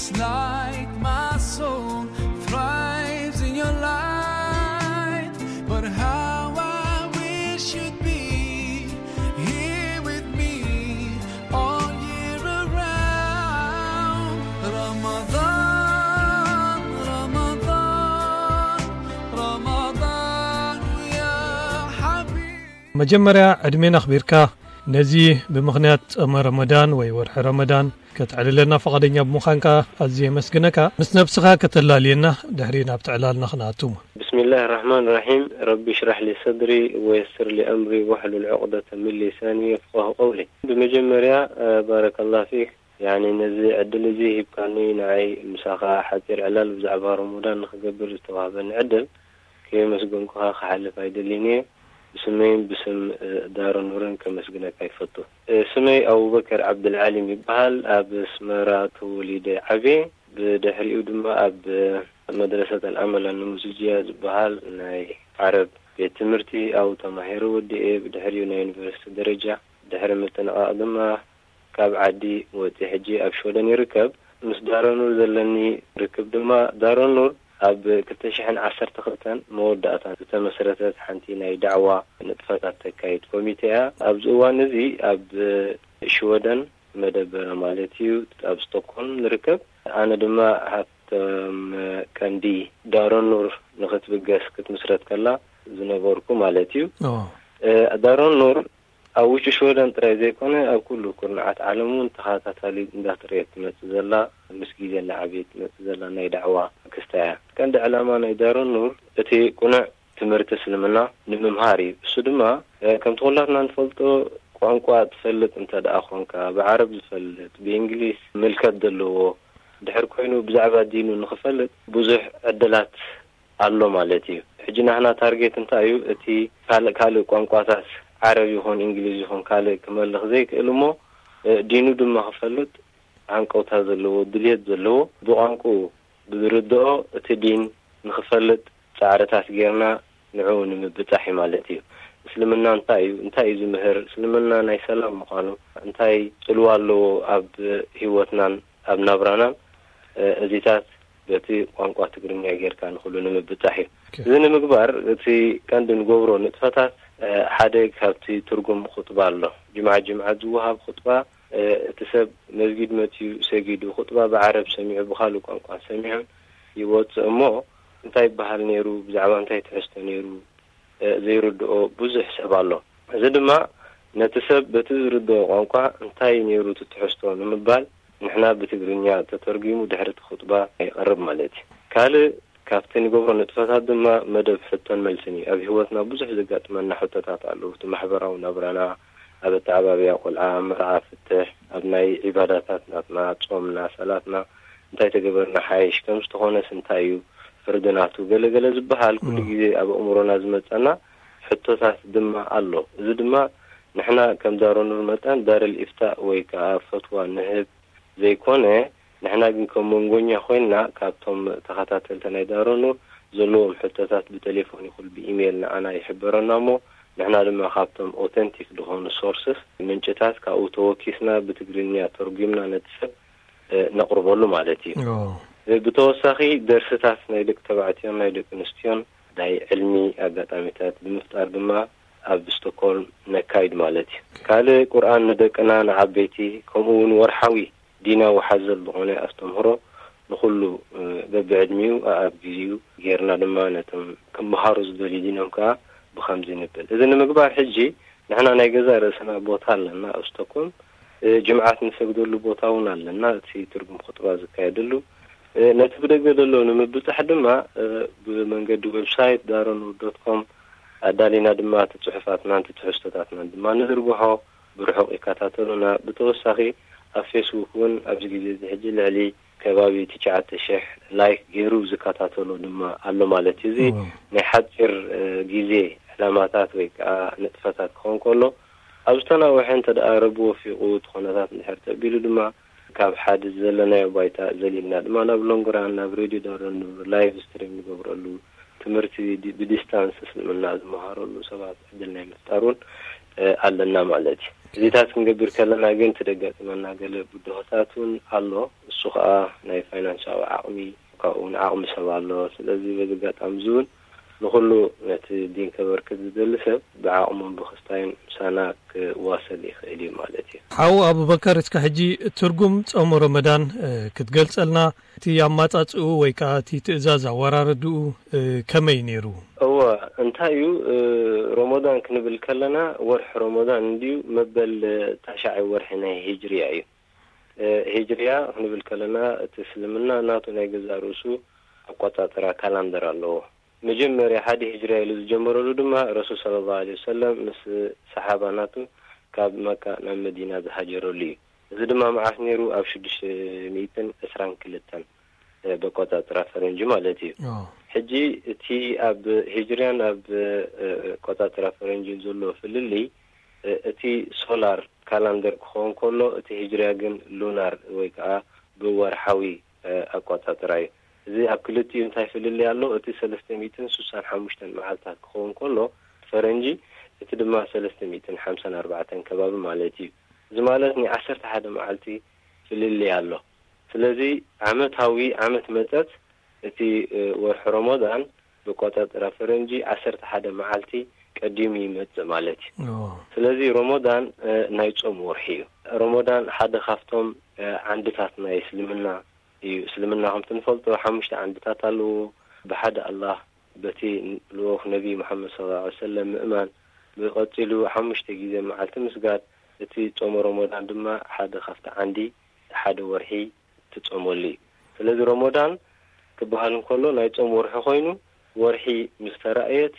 It's like my soul thrives in your light. But how I wish you'd be here with me all year around. Ramadan, Ramadan, Ramadan, ya Habib. መጀመርያ ዕድሜና ኣኽቢርካ ነዚ ብምኽንያት ጸመ ረመዳን ወይ ወርሒ ረመዳን ከተዕልለና ፈቓደኛ ብምዃንካ ኣዝየ የመስግነካ። ምስ ነብስኻ ከተላልየና ድሕሪ ናብቲ ዕላልና ክንኣቱ። ብስሚላህ ራሕማን ራሒም። ረቢ ሽራሕ ሊ ሰድሪ ወየስር ሊ ኣምሪ ወሕሉል ዑቕደተ ምን ሊሳኒ የፍቃሁ ቀውሊ። ብመጀመርያ ባረከላ ፊክ፣ ያኒ ነዚ ዕድል እዚ ሂብካኒ፣ ንዓይ ምሳኻ ሓፂር ዕላል ብዛዕባ ረመዳን ንክገብር ዝተዋህበኒ ዕድል ከየመስገንኩኻ ክሓልፍ ኣይደልን እየ። ብስመይን ብስም ዳሮ ኑርን ከመስግነካ ይፈቱ። ስመይ ኣቡበከር ዓብድልዓሊም ይበሃል። ኣብ ኣስመራ ተወሊደ ዓብየ። ብድሕሪኡ ድማ ኣብ መድረሰት ኣልኣመል ኣንሙዝጅያ ዝበሃል ናይ ዓረብ ቤት ትምህርቲ ኣብኡ ተማሂረ ወዲኤ። ብድሕሪኡ ናይ ዩኒቨርሲቲ ደረጃ ድሕሪ ምጥንቓቕ ድማ ካብ ዓዲ ወፂ ሕጂ ኣብ ሽወደን ይርከብ። ምስ ዳሮ ኑር ዘለኒ ርክብ ድማ ዳሮ ኑር ኣብ ክልተ ሽሕን ዓሰርተ ክልተን መወዳእታ ዝተመስረተት ሓንቲ ናይ ዳዕዋ ንጥፈታት ተካይድ ኮሚቴ እያ። ኣብዚ እዋን እዚ ኣብ ሽወደን መደበራ ማለት እዩ ኣብ ስቶክሆልም ንርከብ። ኣነ ድማ ሃብቶም ቀንዲ ዳሮ ኑር ንክትብገስ ክትምስረት ከላ ዝነበርኩ ማለት እዩ። ዳሮ ኑር ኣብ ውሽጢ ሽወደን ጥራይ ዘይኮነ ኣብ ኩሉ ኩርናዓት ዓለም እውን ተኸታታሊ እንዳተረየት ትመጽእ ዘላ፣ ምስ ግዜ እናዓበየት ትመጽእ ዘላ ናይ ዳዕዋ ክስታ እያ። ቀንዲ ዕላማ ናይ ዳሮ ኑር እቲ ቅኑዕ ትምህርቲ እስልምና ንምምሃር እዩ። እሱ ድማ ከምቲ ኩላትና ንፈልጦ ቋንቋ ትፈልጥ እንተ ደኣ ኾንካ፣ ብዓረብ ዝፈልጥ፣ ብእንግሊዝ ምልከት ዘለዎ ድሕር ኮይኑ ብዛዕባ ዲኑ ንኽፈልጥ ብዙሕ ዕድላት ኣሎ ማለት እዩ። ሕጂ ናህና ታርጌት እንታይ እዩ? እቲ ካልእ ካልእ ቋንቋታት ዓረብ ይኹን እንግሊዝ ይኹን ካልእ ክመልኽ ዘይክእል እሞ ዲኑ ድማ ክፈልጥ ሃንቀውታ ዘለዎ ድልየት ዘለዎ ብቋንቁ ብዝርድኦ እቲ ዲን ንክፈልጥ ፃዕርታት ጌርና ንዕኡ ንምብፃሕ እዩ ማለት እዩ። እስልምና እንታይ እዩ? እንታይ እዩ ዝምህር? እስልምና ናይ ሰላም ምዃኑ እንታይ ፅልዋ ኣለዎ ኣብ ህይወትናን ኣብ ናብራናን? እዚታት በቲ ቋንቋ ትግርኛ ጌርካ ንኩሉ ንምብፃሕ እዩ። እዚ ንምግባር እቲ ቀንዲ ንገብሮ ንጥፈታት ሓደ ካብቲ ትርጉም ኹጥባ ኣሎ። ጅምዓ ጅምዓ ዝወሃብ ኹጥባ እቲ ሰብ መስጊድ መፅዩ ሰጊዱ ኹጥባ ብዓረብ ሰሚዑ ብኻልእ ቋንቋ ሰሚዑን ይወፅእ እሞ እንታይ ይበሃል ነይሩ፣ ብዛዕባ እንታይ ትሕዝቶ ነይሩ ዘይርድኦ ብዙሕ ሰብ ኣሎ። እዚ ድማ ነቲ ሰብ በቲ ዝርድኦ ቋንቋ እንታይ ነይሩ እቲ ትሕዝቶ ንምባል ንሕና ብትግርኛ ተተርጒሙ ድሕሪ እቲ ኹጥባ ይቐርብ ማለት እዩ። ካልእ ካብቲ ንገብሮ ንጥፈታት ድማ መደብ ሕቶን መልስን እዩ። ኣብ ህይወትና ብዙሕ ዘጋጥመና ሕቶታት ኣለዉ። እቲ ማሕበራዊ ናብራና፣ ኣብ ኣተዓባብያ ቆልዓ፣ ኣብ መርዓ ፍትሕ፣ ኣብ ናይ ዒባዳታት ናትና፣ ጾምና፣ ሰላትና እንታይ ተገበርና ሓይሽ፣ ከምዝተኾነስ እንታይ እዩ ፍርዲ ናቱ፣ ገለ ገለ ዝበሃል ኩሉ ግዜ ኣብ ኣእምሮና ዝመጸና ሕቶታት ድማ ኣሎ። እዚ ድማ ንሕና ከም ዳሮ ኑር መጠን ዳርል ኢፍታእ ወይ ከኣ ፈትዋ ንህብ ዘይኮነ፣ ንሕና ግን ከም መንጎኛ ኮይንና ካብቶም ተኸታተልቲ ናይ ዳሮ ኑር ዘለዎም ሕቶታት ብቴሌፎን ይኹን ብኢሜይል ንዓና ይሕበረና እሞ ንሕና ድማ ካብቶም ኦተንቲክ ዝኾኑ ሶርስስ ምንጭታት ካብኡ ተወኪስና ብትግርኛ ተርጒምና ነቲ ሰብ ነቕርበሉ ማለት እዩ። ብተወሳኺ ደርስታት ናይ ደቂ ተባዕትዮን ናይ ደቂ ኣንስትዮን ናይ ዕልሚ ኣጋጣሚታት ብምፍጣር ድማ ኣብ ስቶክሆልም ነካይድ ማለት እዩ። ካልእ ቁርኣን ንደቅና ንዓበይቲ ከምኡ እውን ወርሓዊ ዲናዊ ሓዘል ዝኾነ ኣስተምህሮ ንኹሉ በብዕድሚኡ ኣኣብ ግዜኡ ጌርና ድማ ነቶም ክመሃሩ ዝደልዩ ዲኖም ከኣ ብኸምዚ ንብል። እዚ ንምግባር ሕጂ ንሕና ናይ ገዛእ ርእስና ቦታ ኣለና ኣብ ስቶክሆልም። ጅምዓት ንሰግደሉ ቦታ እውን ኣለና፣ እቲ ትርጉም ኹጥባ ዝካየደሉ። ነቲ ብደገ ዘሎ ንምብጻሕ ድማ ብመንገዲ ዌብሳይት ዳሮኑር ዶት ኮም ኣዳሊና ድማ እቲ ጽሑፋትናን እቲ ትሕዝቶታትናን ድማ ንዝርግሖ ብርሑቕ ይከታተሉና። ብተወሳኺ ኣብ ፌስቡክ እውን ኣብዚ ግዜ እዚ ሕጂ ልዕሊ ከባቢ ትሽዓተ ሽሕ ላይክ ገይሩ ዝከታተሎ ድማ ኣሎ ማለት እዩ። እዚ ናይ ሓፂር ግዜ ዕላማታት ወይ ከዓ ንጥፈታት ክኸውን ከሎ ኣብ ዝተናወሐ እንተ ደኣ ረቢ ወፊቑ እቲ ኩነታት እንድሕር ተቢሉ ድማ ካብ ሓዲ ዘለናዮ ባይታ ዘሊልና ድማ ናብ ሎንግራ ናብ ሬድዮ ዳረኑ ላይቭ ስትሪም ንገብረሉ ትምህርቲ ብዲስታንስ እስልምና ዝመሃረሉ ሰባት ዕድል ናይ ምፍጣር እውን ኣለና ማለት እዩ። እዚታት ክንገብር ከለና ግን ትደጋጥመና ገለ ብድሆታት እውን ኣሎ። እሱ ከዓ ናይ ፋይናንሳዊ ዓቕሚ፣ ካብኡ እውን ዓቕሚ ሰብ ኣሎ። ስለዚ በዚ ኣጋጣሚ እዚ እውን ንኩሉ ነቲ ዲን ከበርክት ዝደሊ ሰብ ብዓቕሙን ብክስታይን ምሳና ክዋሰል ይኽእል እዩ ማለት እዩ። ሓው ኣቡበከር፣ እስከ ሕጂ ትርጉም ጾም ረመዳን ክትገልጸልና፣ እቲ ኣማጻጽኡ ወይ ከዓ እቲ ትእዛዝ ኣወራረድኡ ከመይ ነይሩ? እወ፣ እንታይ እዩ፣ ሮሞዳን ክንብል ከለና ወርሒ ሮሞዳን እንድዩ መበል ታሽዓይ ወርሒ ናይ ሂጅርያ እዩ። ሂጅርያ ክንብል ከለና እቲ እስልምና ናቱ ናይ ገዛእ ርእሱ ኣቆጻጽራ ካላንደር ኣለዎ። መጀመርያ ሓደ ሂጅርያ ኢሉ ዝጀመረሉ ድማ ረሱል ሰለላሁ ዐለይሂ ወሰለም ምስ ሰሓባ ናቱ ካብ መካ ናብ መዲና ዝሃጀረሉ እዩ። እዚ ድማ መዓስ ነይሩ? ኣብ ሽዱሽተ ሚእትን ዕስራን ክልተን በቆጻጽራ ፈረንጂ ማለት እዩ። ሕጂ እቲ ኣብ ሂጅርያን ኣብ ቆጻጽራ ፈረንጂን ዘሎ ፍልልይ፣ እቲ ሶላር ካላንደር ክኸውን ከሎ፣ እቲ ሂጅርያ ግን ሉናር ወይ ከዓ ብወርሓዊ ኣቆጻጽራ እዩ። እዚ ኣብ ክልቲኡ እንታይ ፍልልይ ኣሎ? እቲ ሰለስተ ሚእትን ስሳን ሓሙሽተን መዓልታት ክኸውን ከሎ ፈረንጂ፣ እቲ ድማ ሰለስተ ሚእትን ሓምሳን ኣርባዕተን ከባቢ ማለት እዩ። እዚ ማለት ናይ ዓሰርተ ሓደ መዓልቲ ፍልልይ ኣሎ። ስለዚ ዓመታዊ፣ ዓመት መጸት፣ እቲ ወርሒ ሮሞዳን ብቆጻጽራ ፈረንጂ ዓሰርተ ሓደ መዓልቲ ቀዲሙ ይመጽእ ማለት እዩ። ስለዚ ሮሞዳን ናይ ጾም ወርሒ እዩ። ሮሞዳን ሓደ ካብቶም ዓንድታት ናይ እስልምና እዩ። እስልምና ከምቲ ንፈልጦ ሓሙሽተ ዓንድታት ኣለዎ። ብሓደ ኣላህ፣ በቲ ልኡኽ ነቢ መሓመድ ሰለላሁ ዐለይሂ ወሰለም ምእማን፣ ብቐጺሉ ሓሙሽተ ግዜ መዓልቲ ምስጋድ፣ እቲ ጾም ሮሞዳን ድማ ሓደ ካብቲ ዓንዲ ሓደ ወርሒ ትጾመሉ እዩ። ስለዚ ሮሞዳን ክበሃል እንከሎ ናይ ጾም ወርሒ ኮይኑ፣ ወርሒ ምስ ተራእየት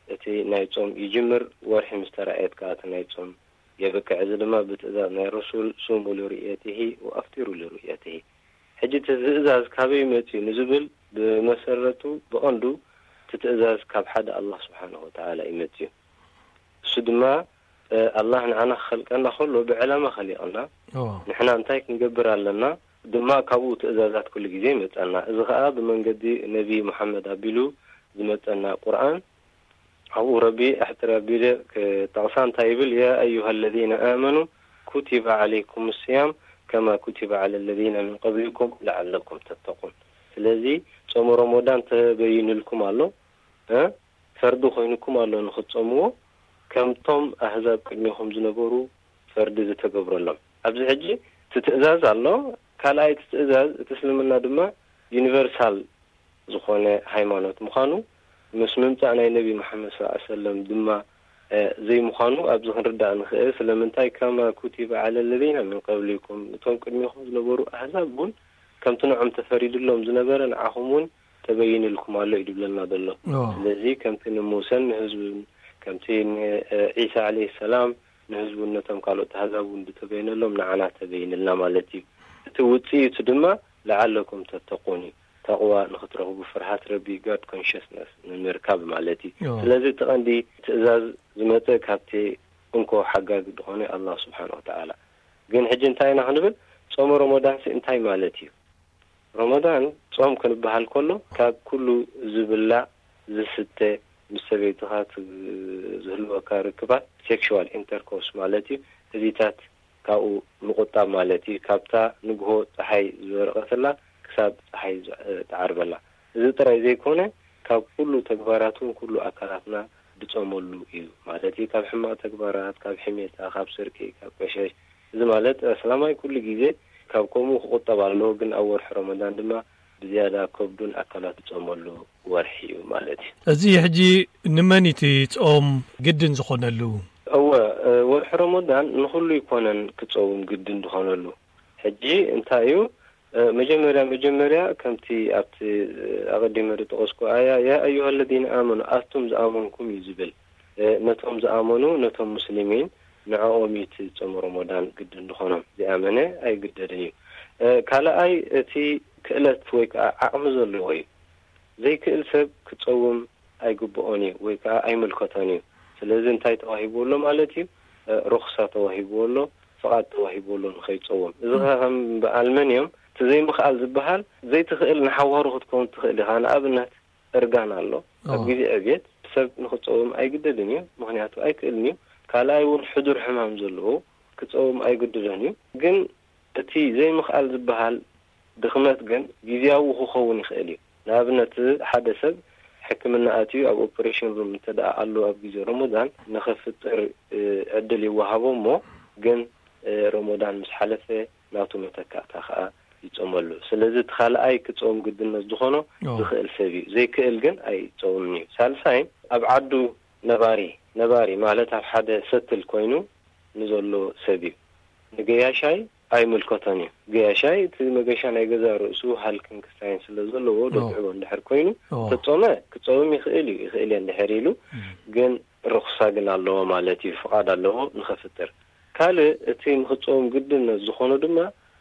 እቲ ናይ ጾም ይጅምር፣ ወርሒ ምስ ተራእየት ከኣ እቲ ናይ ጾም የብቅዕ። እዚ ድማ ብትእዛዝ ናይ ረሱል ሱሙ ሊሩእየትሂ ወኣፍጢሩ ሊሩእየትሂ። ሕጂ እቲ ትእዛዝ ካበይ መጽዩ ንዝብል ብመሰረቱ ብቐንዱ እቲ ትእዛዝ ካብ ሓደ ኣላህ ስብሓንሁ ወተዓላ እዩ መጽዩ። እሱ ድማ ኣላህ ንዓና ክኸልቀና ከሎ ብዕላማ ኸሊቐና። ንሕና እንታይ ክንገብር ኣለና ድማ ካብኡ ትእዛዛት ኩሉ ግዜ ይመጸና። እዚ ኸኣ ብመንገዲ ነቢ መሓመድ ኣቢሉ ዝመጸና ቁርኣን። ኣብኡ ረቢ ኣሕጽር ኣቢለ ክጠቕሳ እንታይ ይብል? ያ ኣዩሃ ለዚነ ኣመኑ ኩቲበ ዓለይኩም ስያም ከማ ኩቲበ ዓለ ለዚነ ምን ቀብሊኩም ለዓለኩም ተተቁን። ስለዚ ጾም ሮሞዳን ተበይንልኩም ኣሎ፣ እ? ፈርዲ ኮይኑኩም ኣሎ ንኽትጾምዎ፣ ከምቶም ኣህዛብ ቅድሚኹም ዝነበሩ ፈርዲ ዝተገብረሎም። ኣብዚ ሕጂ እቲ ትእዛዝ ኣሎ። ካልኣይ እቲ ትእዛዝ፣ እቲ እስልምና ድማ ዩኒቨርሳል ዝኾነ ሃይማኖት ምዃኑ፣ ምስ ምምጻእ ናይ ነቢ መሓመድ ሰለላሁ ዐለይሂ ወሰለም ድማ ዘይምዃኑ ኣብዚ ክንርዳእ ንኽእል። ስለምንታይ? ከማ ኩቲበ ዓለ ለዚነ ምን ቀብሊኩም፣ እቶም ቅድሚኹም ዝነበሩ ኣህዛብ እውን ከምቲ ንዖም ተፈሪድሎም ዝነበረ ንዓኹም እውን ተበይንልኩም ኣሎ እዩ ድብለና ዘሎ። ስለዚ ከምቲ ንሙሰን ንህዝቡን፣ ከምቲ ንዒሳ ዓለይሂ ሰላም ንህዝቡን ነቶም ካልኦት ኣህዛብ እውን ዝተበይነሎም ንዓና ተበይንልና ማለት እዩ። እቲ ውጽኢቱ ድማ ለዓለኩም ተተቁን እዩ። ተቕዋ ንኽትረኽቡ፣ ፍርሃት ረቢ፣ ጋድ ኮንሽስነስ ንምርካብ ማለት እዩ። ስለዚ እቲ ቀንዲ ትእዛዝ ዝመጸ ካብቲ እንኮ ሓጋጊ ዝኾነ ኣላህ ስብሓን ወተዓላ። ግን ሕጂ እንታይ ኢና ክንብል? ጾመ ረመዳንሲ እንታይ ማለት እዩ? ረመዳን ጾም ክንበሃል ከሎ ካብ ኩሉ ዝብላዕ ዝስተ፣ ምስ ሰበይትኻ ት-፣ ዝህልወካ ርክባት፣ ሴክሽዋል ኢንተርኮርስ ማለት እዩ። እዚታት ካብኡ ምቁጣብ ማለት እዩ። ካብታ ንግሆ ጸሓይ ዝበርቐትላ ክሳብ ጸሓይ ዝ-፣ ትዓርበላ። እዚ ጥራይ ዘይኮነ፣ ካብ ኩሉ ተግባራትን ኩሉ ኣካላትና ድጾመሉ እዩ ማለት እዩ። ካብ ሕማቕ ተግባራት፣ ካብ ሕሜታ፣ ካብ ስርቂ፣ ካብ ቀሸሽ። እዚ ማለት ኣስላማይ ኩሉ ግዜ ካብ ከምኡ ክቁጠብ ኣለዎ፣ ግን ኣብ ወርሒ ረመዳን ድማ ብዝያዳ ከብዱን ኣካላት ዝጾመሉ ወርሒ እዩ ማለት እዩ። እዚ ሕጂ ንመን እዩ እቲ ጾም ግድን ዝኾነሉ? እወ፣ እ፣ ወርሒ ረመዳን ንኹሉ ይኮነን ክጸውም ግድን ዝኾነሉ። ሕጂ እንታይ እዩ? እ፣ መጀመርያ፣ መጀመርያ ከምቲ ኣብቲ፣ እ፣ ኣቐዲመ ዝጠቐስኩ ኣያ፣ "ያ ኣዩሃ ለዚነ ኣመኑ፣ ኣቱም ዝኣመንኩም" እዩ ዝብል። እ፣ ነቶም ዝኣመኑ፣ ነቶም ሙስሊሚን፣ ንዕኦም እዩ እቲ ጾም ረመዳን ግድን ዝኾኖም። ዘይኣመነ ኣይግደድን እዩ። እ፣ ካልኣይ፣ እቲ ክእለት ወይ ከዓ ዓቕሚ ዘለዎ እዩ። ዘይክእል ሰብ ክጸውም ኣይግብኦን እዩ ወይ ከዓ ኣይምልከቶን እዩ። ስለዚ እንታይ ተዋሂብዎ ኣሎ ማለት እዩ? እ፣ ሩኽሳ ተዋሂብዎ ኣሎ፣ ፍቓድ ተዋሂብዎ ኣሎ ንኸይጸውም። እዚ ኸ ከም በዓል መን እዮም? እቲ ዘይምኽኣል ዝበሃል፣ ዘይትኽእል ንሓዋሩ ክትከውን ትኽእል ኢኻ። ንኣብነት እርጋን ኣሎ። ኣብ ግዜ ዕብየት ሰብ ንኽጸውም ኣይግደድን እዩ፣ ምኽንያቱ ኣይክእልን እዩ። ካልኣይ እውን ሕዱር ሕማም ዘለዎ ክጸውም ኣይግድዶን እዩ። ግን እቲ ዘይምኽኣል ዝበሃል ድኽመት ግን ግዜያዊ ክኸውን ይኽእል እዩ። ንኣብነት፣ ሓደ ሰብ ሕክምና ኣትዩ ኣብ ኦፕሬሽን ሩም እንተ ደኣ ኣሎ ኣብ ግዜ ረመዳን ንኸፍጥር፣ እ፣ ዕድል ይወሃቦ እሞ፣ ግን፣ እ፣ ረመዳን ምስ ሓለፈ ናቱ መተካእታ ከኣ ይጾመሉ። ስለዚ እቲ ካልኣይ ክጾም ግድነት ዝኾኖ ኦ። ዝኽእል ሰብ እዩ። ዘይክእል ግን ኣይጾምን እዩ። ሳልሳይ፣ ኣብ ዓዱ ነባሪ፣ ነባሪ ማለት ኣብ ሓደ ሰትል ኮይኑ ንዘሎ ሰብ እዩ። ንገያሻይ ኣይምልከቶን እዩ። ገያሻይ እቲ መገሻ ናይ ገዛ ርእሱ ሃልክን ክስታይን ስለ ዘለዎ ኦ። ደትዕቦ እንድሕር ኮይኑ ኦ። ተጾመ ክጸውም ይኽእል እዩ። ይኽእል እየ እንድሕር ኢሉ እም። ግን ርኹሳ ግን ኣለዎ ማለት እዩ። ፍቓድ ኣለዎ ንኸፍጥር። ካልእ እቲ ንኽጸውም ግድነት ዝኾኖ ድማ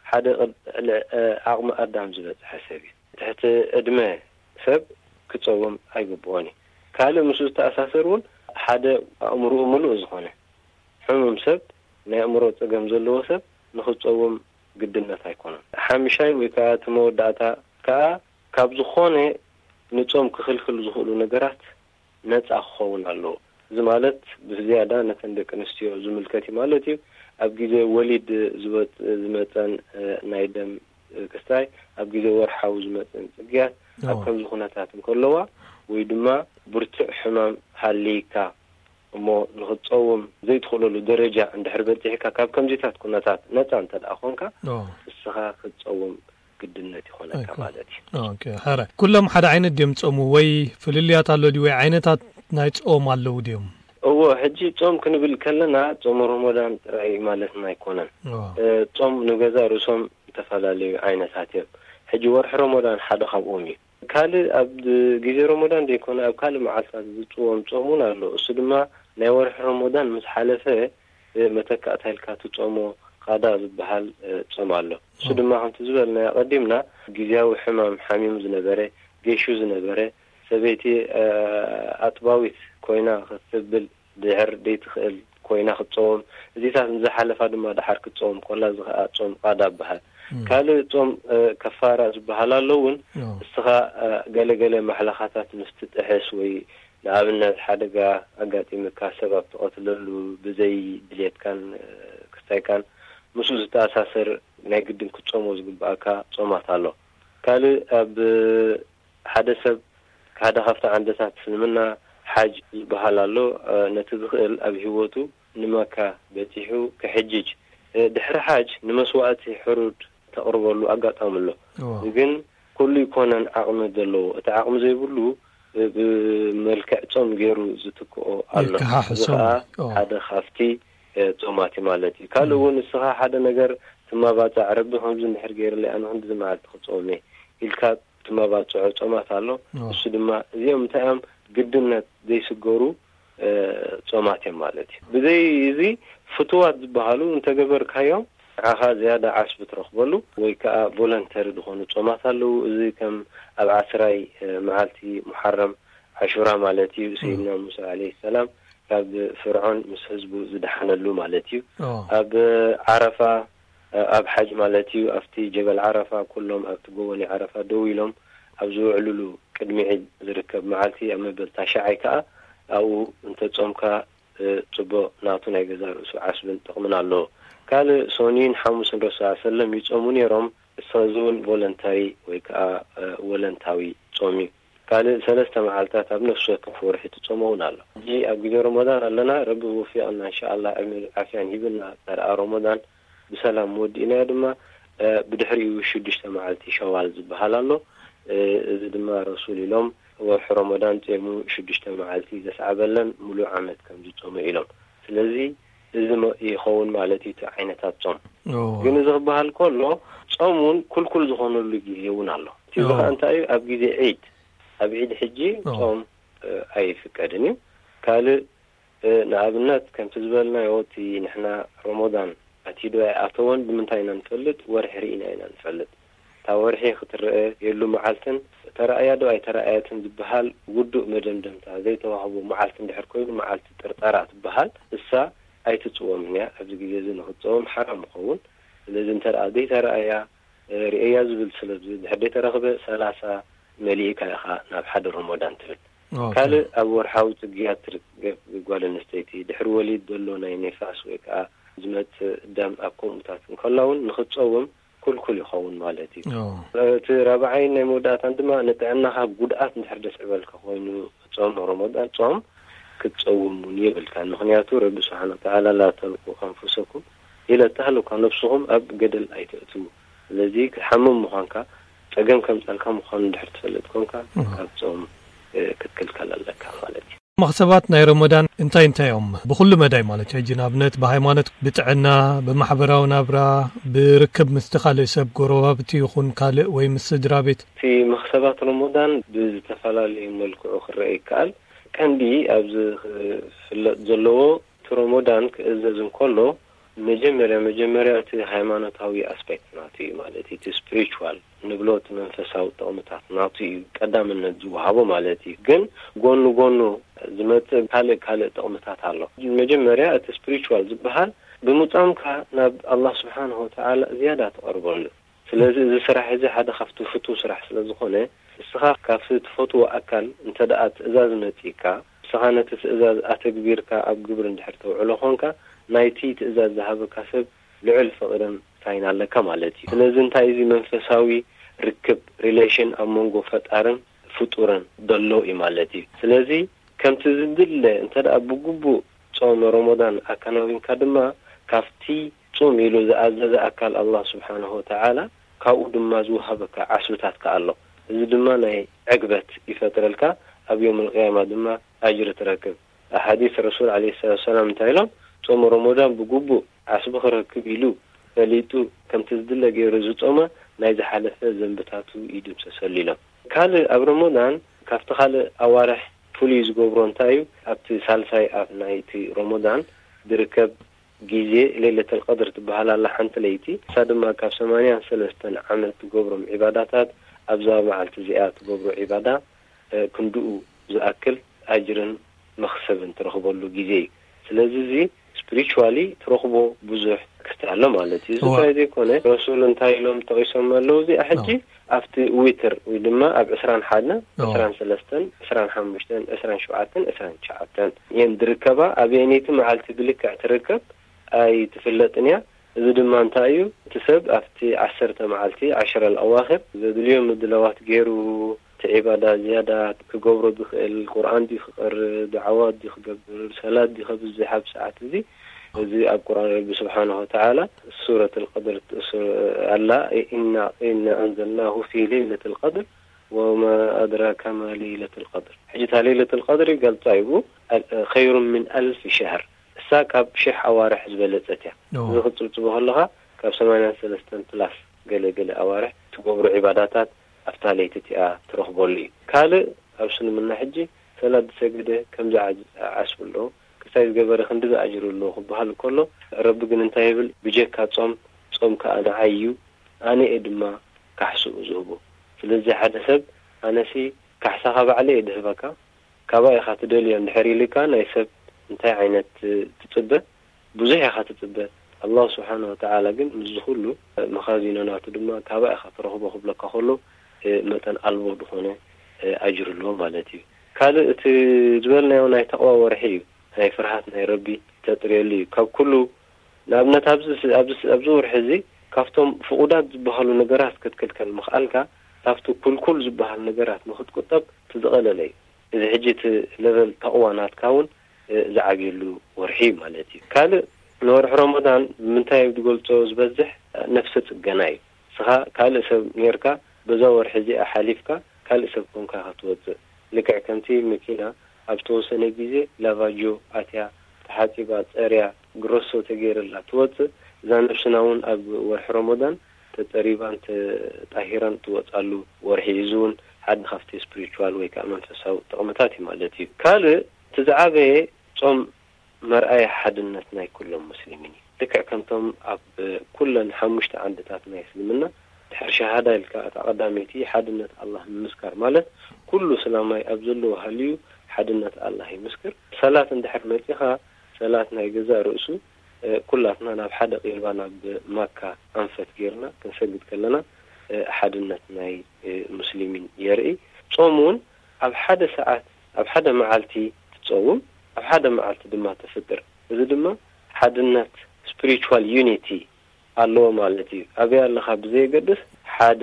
ሓደ ቅድ-፣ ል-፣ እ፣ ዓቕሚ ኣዳም ዝበጽሐ ሰብ እዩ። ትሕቲ ዕድመ ሰብ ክጸውም ኣይግብኦን እዩ። ካልእ ምስኡ ዝተኣሳሰር እውን ሓደ ኣእምሮኡ ምሉእ ዝኾነ ሕሙም ሰብ፣ ናይ ኣእምሮ ጸገም ዘለዎ ሰብ ንኽጸውም ግድነት ኣይኮነን። ሓምሻይ ወይ ከኣ እቲ መወዳእታ ከኣ ካብ ዝኾነ ንጾም ክኽልክል ዝኽእሉ ነገራት ነጻ ክኸውን ኣለዎ። እዚ ማለት ብዝያዳ ነተን ደቂ ኣንስትዮ ዝምልከት እዩ ማለት እዩ። ኣብ ግዜ ወሊድ ዝወጽ-፣ ዝመጸን፣ እ፣ ናይ ደም፣ እ፣ ክስታይ፣ ኣብ ግዜ ወርሓዊ ዝመጸን ጽግያት ኣብ ኦ። ከምዚ ኩነታት እንከለዋ ወይ ድማ ብርቱዕ ሕማም ሃልይካ እሞ ንኽትጸውም ዘይትኽእለሉ ደረጃ እንድሕር በጺሕካ፣ ካብ ከምዚታት ኩነታት ነጻ እንተ ደኣ ኾንካ፣ ኦ። ንስኻ ክትጸውም ግድነት ይኾነካ ኣይኮ-፣ ማለት እዩ። ኦኬ፣ ሕራይ። ኩሎም ሓደ ዓይነት ድዮም ጾሙ ወይ ፍልልያት ኣሎ ድዩ ወይ ዓይነታት ናይ ጾም ኣለዉ ድዮም? እዎ፣ ሕጂ ጾም ክንብል ከለና ጾም ረመዳን ጥራይ ማለትና ኣይኮነን። ኦ። እ፣ ጾም ንገዛ ርእሶም ዝተፈላለዩ ዓይነታት እዮም። ሕጂ ወርሒ ረመዳን ሓደ ካብኦም እዩ። ካልእ ኣብ ግዜ ረመዳን ዘይኮነ ኣብ ካልእ መዓልታት ዝጽወም ጾም እውን ኣሎ። እሱ ድማ ናይ ወርሒ ረመዳን ምስ ሓለፈ፣ እ፣ መተካእታ ኢልካ ትጾሞ ቃዳ ዝበሃል፣ እ፣ ጾም ኣሎ። እሱ ኦ። ድማ ከምቲ ዝበልናዮ ኣቐዲምና፣ ግዝያዊ ሕማም ሓሚሙ ዝነበረ፣ ገይሹ ዝነበረ፣ ሰበይቲ፣ እ፣ ኣጥባዊት ኮይና ክትብል ድሕር ደይትኽእል ኮይና ክትጾም፣ እዚታት ንዝሓለፋ ድማ ደሓር ክትጾም ኮላ፣ እዚ ኸኣ ጾም ቃዳ ይበሃል። እም። ካልእ ጾም፣ እ፣ ከፋራ ዝበሃል ኣሎ እውን። ኦ። እስኻ፣ እ፣ ገለ ገለ ማሕለኻታት ምስ ትጥሕስ ወይ ንኣብነት ሓደጋ ኣጋጢምካ ሰብ ኣብ ትቐትለሉ ብዘይ ድልየትካን፣ እ፣ ክስታይካን ምስኡ ዝተኣሳሰር ናይ ግድን ክትጾሞ ዝግብኣካ ጾማት ኣሎ። ካልእ ኣብ ሓደ ሰብ ሓደ ካብቲ ዓንድታት እስልምና ሓጅ ዝበሃል ኣሎ። እ፣ ነቲ ዝኽእል ኣብ ህይወቱ ንመካ በጺሑ ክሕጅጅ፣ እ፣ ድሕሪ ሓጅ ንመስዋእቲ ሕሩድ ተቕርበሉ ኣጋጣሚ ኣሎ። ኦ። ግን ኩሉ ይኮነን ዓቕሚ ዘለዎ። እቲ ዓቕሚ ዘይብሉ ብ-፣ ብመልክዕ ጾም ገይሩ ዝትክኦ ኣሎ። የከሓሕሶም። እዚ ከኣ ኦ። ሓደ ካብቲ፣ እ፣ ጾማት እዩ ማለት እዩ። ካልእ ም። እውን ንስኻ ሓደ ነገር ትመባጻዕ፣ ረቢ ከምዚ እንድሕር ገይርለይ ኣነ ክንድዚ መዓልቲ ክጾም እየ ኢልካ ትመባጽዖ ጾማት ኣሎ። ኦ። እሱ ድማ እዚኦም እንታይ እዮም ግድነት ዘይስገሩ፣ እ፣ ጾማት እዮም ማለት እዩ። ብዘይ እዚ ፍቱዋት ዝበሃሉ እንተገበርካዮም ንዓኻ ዝያዳ ዓስቢ ትረኽበሉ ወይ ከኣ ቮለንተሪ ዝኾኑ ጾማት ኣለዉ። እዚ ከም ኣብ ዓስራይ፣ እ፣ መዓልቲ ሙሓረም ዓሹራ ማለት እዩ። ሰይድና ሙሳ ዓለይሂ ሰላም ካብ ፍርዖን ምስ ህዝቡ ዝደሓነሉ ማለት እዩ። ኦ። ኣብ ዓረፋ፣ እ፣ ኣብ ሓጅ ማለት እዩ። ኣብቲ ጀበል ዓረፋ ኩሎም ኣብቲ ጎቦ ናይ ዓረፋ ደው ኢሎም ኣብ ዝውዕሉሉ ቅድሚ ዒድ ዝርከብ መዓልቲ ኣብ መበል ታሽዓይ ከኣ ኣብኡ እንተጾምካ፣ እ፣ ጽቡቕ ናቱ ናይ ገዛ ርእሱ ዓስብን ጥቕምን ኣለዎ። ካልእ ሶኒን ሓሙስን ረሱል ሰለም ይጾሙ ነይሮም። እዚ እውን ቮለንታሪ ወይ ከኣ፣ እ፣ ወለንታዊ ጾም እዩ። ካልእ ሰለስተ መዓልታት ኣብ ነፍሲ ወከፍ ወርሒ ትጾሞ እውን ኣሎ። ሕጂ ኣብ ግዜ ረመዳን ኣለና፣ ረቢ ብውፊቕና እንሻኣላህ ዕድመን ዓፍያን ሂብና፣ እንተ ደኣ ረመዳን ብሰላም ወዲእናዮ ድማ፣ እ፣ ብድሕሪኡ ሽዱሽተ መዓልቲ ሸዋል ዝበሃል ኣሎ። እ፣ እዚ ድማ ረሱል ኢሎም ወርሒ ረመዳን ጼሙ ሽዱሽተ መዓልቲ ዘስዓበለን ሙሉእ ዓመት ከም ዝጾመ ኢሎም። ስለዚ እዚ መ-፣ ይኸውን ማለት እዩ እቲ ዓይነታት ጾም። ኦ። ግን እዚ ክበሃል ከሎ ጾም እውን ኩልኩል ዝኾነሉ ግዜ እውን ኣሎ። እቲ እዚ ኦ። ከኣ እንታይ እዩ? ኣብ ግዜ ዒድ፣ ኣብ ዒድ ሕጂ ኦ። ጾም፣ እ፣ ኣይፍቀድን እዩ። ካልእ፣ እ፣ ንኣብነት ከምቲ ዝበልናዮ እቲ ንሕና ረመዳን ኣትዩ ዶ ኣይኣተወን ብምንታይ ኢና ንፈልጥ? ወርሒ ርኢና ኢና ንፈልጥ። እታ ወርሒ ክትረኣየሉ መዓልትን ተራእያ ዶ ኣይተራእየትን ዝበሃል ውዱእ መደምደምታ ዘይተዋህቦ መዓልቲ እንድሕር ኮይኑ መዓልቲ ጥርጠራ ትበሃል። እሳ ኣይትጽወምን እያ። ኣብዚ ግዜ እዚ ንኽትጸወም ሓራም ይኸውን። ስለዚ እንተ ደኣ ዘይተራእያ፣ እ፣ ርእየያ ዝብል ስለ ድሕር ዘይተረኽበ ሰላሳ መሊእካ ኢኻ ናብ ሓደ ረመዳን ትብል። ካልእ ኣብ ወርሓዊ ጽግያት ትርከብ ጓል ኣንስተይቲ፣ ድሕሪ ወሊድ ዘሎ ናይ ኔፋስ ወይ ከዓ ዝመጽእ ደም ኣብ ከምኡታት እንከላ እውን ንኽትጸውም ኩልኩል ይኸውን ማለት እዩ። እቲ ራብዓይን ናይ መወዳእታን ድማ ንጥዕናኻ ጉድኣት እንድሕር ደስዕበልካ ኮይኑ ጾም ረመዳን ጾም ክትጸውም እውን የብልካ። ምኽንያቱ ረቢ ስብሓን ወተዓላ ላ ተልቁ ኣንፉሰኩም ኢለ እተሃለኳ ነብስኹም ኣብ ገደል ኣይተእትዉ። ስለዚ ክትሓምም ምዃንካ ጸገም ከምጸልካ ምዃኑ እንድሕር ትፈልጥ ኮንካ ካብ ጾም ክትክልከል ኣለካ ማለት እዩ። መኽሰባት ናይ ረመዳን እንታይ እንታይ እዮም? ብኹሉ መዳይ ማለት እዩ። ሕጂ ንኣብነት ብሃይማኖት፣ ብጥዕና፣ ብማሕበራዊ ናብራ፣ ብርክብ ምስቲ ካልእ ሰብ ጎረባብቲ ይኹን ካልእ ወይ ምስ ስድራ ቤት። እቲ መኽሰባት ረመዳን ብዝተፈላለዩ መልክዑ ክረአ ይከኣል። ቀንዲ ኣብዚ ክፍለጥ ዘለዎ እቲ ረመዳን ክእዘዝ እንከሎ መጀመርያ መጀመርያ እቲ ሃይማኖታዊ ኣስፔክት ናቱ እዩ ማለት እዩ። እቲ ስፒሪቹዋል ንብሎ እቲ መንፈሳዊ ጥቕምታት ናቱ እዩ ቀዳምነት ዝወሃቦ ማለት እዩ። ግን ጎኑ ጎኑ ዝመጽእ ካልእ ካልእ ጥቕምታት ኣሎ። መጀመርያ እቲ ስፒሪቹዋል ዝበሃል ብምጻምካ ናብ ኣላህ ስብሓንሁ ወተዓላ ዝያዳ ትቐርበሉ። ስለዚ እዚ ስራሕ እዚ ሓደ ካብቲ ፍቱው ስራሕ ስለ ዝኾነ ንስኻ ካብቲ ትፈትዎ ኣካል እንተ ደኣ ትእዛዝ መጺእካ ንስኻ ነቲ ትእዛዝ ኣተግቢርካ ኣብ ግብሪ እንድሕር ተውዕሎ ኾንካ ናይቲ ትእዛዝ ዝሃበካ ሰብ ልዑል ፍቕርን ሳይን ኣለካ ማለት እዩ። ስለዚ እንታይ እዚ መንፈሳዊ ርክብ ሪሌሽን ኣብ መንጎ ፈጣርን ፍጡርን ዘሎ እዩ ማለት እዩ። ስለዚ ከምቲ ዝድለ እንተ ደኣ ብግቡእ ጾም ረመዳን ኣከናዊንካ ድማ ካብቲ ጹም ኢሉ ዝኣዘዘ ኣካል ኣላህ ስብሓንሁ ወተዓላ ካብኡ ድማ ዝወሃበካ ዓስብታት ከኣ ኣሎ። እዚ ድማ ናይ ዕግበት ይፈጥረልካ፣ ኣብ ዮም ልቅያማ ድማ ኣጅሪ ትረክብ። ኣብ ሓዲስ ረሱል ዓለይሂ ሰላቱ ወሰላም እንታይ ኢሎም? ጾም ረመዳን ብግቡእ ዓስቢ ክረክብ ኢሉ ፈሊጡ ከምቲ ዝድለ ገይሩ ዝጾመ ናይ ዝሓለፈ ዘንብታቱ ይድምሰሰሉ ኢሎም። ካልእ ኣብ ረመዳን ካብቲ ካልእ ኣዋርሕ ፍሉይ ዝገብሮ እንታይ እዩ? ኣብቲ ሳልሳይ ኣፍ ናይቲ ረመዳን ዝርከብ ግዜ ሌለተል ቀድር ትበሃል ኣላ ሓንቲ ለይቲ። እሳ ድማ ካብ ሰማንያን ሰለስተን ዓመት ትገብሮም ዒባዳታት ኣብዛ መዓልቲ እዚኣ ትገብሮ ዒባዳ ክንድኡ ዝኣክል ኣጅርን መኽሰብን ትረኽበሉ ግዜ እዩ። ስለዚ እዚ ስፕሪቹዋሊ ትረኽቦ ብዙሕ ክስታይ ኣሎ ማለት እዩ። እዚ ጥራይ ዘይኮነ ረሱል እንታይ ኢሎም ጠቒሶም ኣለዉ እዚኣ ሕጂ ኣብቲ ዊትር ወይ ድማ ኣብ ዕስራን ሓደን ዕስራን ሰለስተን ዕስራን ሓሙሽተን ዕስራን ሸውዓተን ዕስራን ትሽዓተን እየን ዝርከባ። ኣበየነይቲ መዓልቲ ብልክዕ ትርከብ ኣይትፍለጥን እያ። እዚ ድማ እንታይ እዩ? እቲ ሰብ ኣብቲ ዓሰርተ መዓልቲ ዓሽረ ኣዋኺር ዘድልዮ ምድላዋት ገይሩ እቲ ዒባዳ ዝያዳ ክገብሮ ዝኽእል ቁርኣን ድዩ ክቐርእ፣ ዳዕዋት ድዩ ክገብር፣ ሰላት ድዩ ከብዝሕ ኣብ ሰዓት እዚ እዚ ኣብ ቁርኣን ረቢ ስብሓንሁ ወተዓላ ሱረት ልቀድር ኣላ። ኢና ኢና ኣንዘልናሁ ፊ ሌለት ልቀድር ወማ ኣድራካ ማ ሌለት ልቀድር። ሕጂ እታ ሌለት ልቀድር ይገልጻ ይቡ ኸይሩ ምን ኣልፍ ሸህር እሳ ካብ ሽሕ ኣዋርሕ ዝበለጸት እያ። እዚ ክትጽብጽቦ ከለኻ ካብ ሰማንያን ሰለስተን ፕላስ ገለ ገለ ኣዋርሕ ትገብሮ ዒባዳታት ኣብታ ለይቲ እቲኣ ትረኽበሉ እዩ። ካልእ ኣብ እስልምና ሕጂ ሰላት ዝሰገደ ከምዚ ዓስቢ ኣለዎ፣ ክስታይ ዝገበረ ክንዲ ዝኣጅሩ ኣለዎ ክበሃል ከሎ ረቢ ግን እንታይ ይብል? ብጀካ ጾም፣ ጾም ከኣ ንዓይ እዩ፣ ኣነ እየ ድማ ካሕስኡ ዝህቦ። ስለዚ ሓደ ሰብ ኣነሲ ካሕሳኻ ባዕለ እየ ድህበካ፣ ካባይ ኢኻ ትደልዮ እንድሕር ኢልካ ናይ ሰብ እንታይ ዓይነት ትጽበ? ብዙሕ ኢኻ ትጽበ። ኣላህ ስብሓን ወተዓላ ግን ምስዚ ኩሉ መኻዚኖ ናቱ ድማ ካባይ ኢኻ ትረኽቦ ክብለካ ከሎ መጠን ኣልቦ ዝኾነ ኣጅር ኣለዎ ማለት እዩ። ካልእ እቲ ዝበልናዮ ናይ ተቕዋ ወርሒ እዩ። ናይ ፍርሃት ናይ ረቢ ተጥርየሉ እዩ። ካብ ኩሉ ንኣብነት ኣብዚ ኣብዚ ኣብዚ ወርሒ እዚ ካብቶም ፍቑዳት ዝበሃሉ ነገራት ክትክልከል ምኽኣልካ ካብቲ ኩልኩል ዝበሃል ነገራት ንኽትቁጠብ እቲ ዝቐለለ እዩ። እዚ ሕጂ እቲ ለቨል ተቕዋ ናትካ እውን ዝዓብየሉ ወርሒ ማለት እዩ። ካልእ ንወርሒ ረመዳን ብምንታይ ዝገልጾ ዝበዝሕ ነፍሰ ጽገና እዩ። ንስኻ ካልእ ሰብ ኔርካ በዛ ወርሒ እዚኣ ሓሊፍካ ካልእ ሰብ ኮንካ ኢኻ ትወጽእ። ልክዕ ከምቲ መኪና ኣብ ዝተወሰነ ግዜ ላቫጆ ኣትያ ተሓጺባ ጸርያ ግሮሶ ተገይርላ ትወጽእ፣ እዛ ነብስና እውን ኣብ ወርሒ ረመዳን ተጸሪባን ተጣሂራን ትወጻሉ ወርሒ እዩ። እዚ እውን ሓደ ካብቲ ስፕሪቹዋል ወይ ከዓ መንፈሳዊ ጥቕምታት እዩ ማለት እዩ። ካልእ እቲ ዝዓበየ ጾም መርኣያ ሓድነት ናይ ኩሎም ሙስሊሚን እዩ። ልክዕ ከምቶም ኣብ ኩለን ሓሙሽተ ዓንድታት ናይ እስልምና ድሕሪ ሸሃዳ ኢልካ እታ ቀዳመይቲ ሓድነት ኣላህ ምምስካር ማለት ኩሉ ስላማይ ኣብ ዘለዎ ሃልዩ ሓድነት ኣላህ ይምስክር። ሰላት እንድሕር መጺኻ ሰላት ናይ ገዛእ ርእሱ ኩላትና ናብ ሓደ ቂብላ ናብ ማካ ኣንፈት ጌርና ክንሰግድ ከለና ሓድነት ናይ ሙስሊሚን የርኢ። ጾም እውን ኣብ ሓደ ሰዓት ኣብ ሓደ መዓልቲ ትጸውም፣ ኣብ ሓደ መዓልቲ ድማ ተፍጥር። እዚ ድማ ሓድነት፣ ስፒሪቹዋል ዩኒቲ ኣለዎ ማለት እዩ። ኣበይ ኣለኻ ብዘየገድስ ሓደ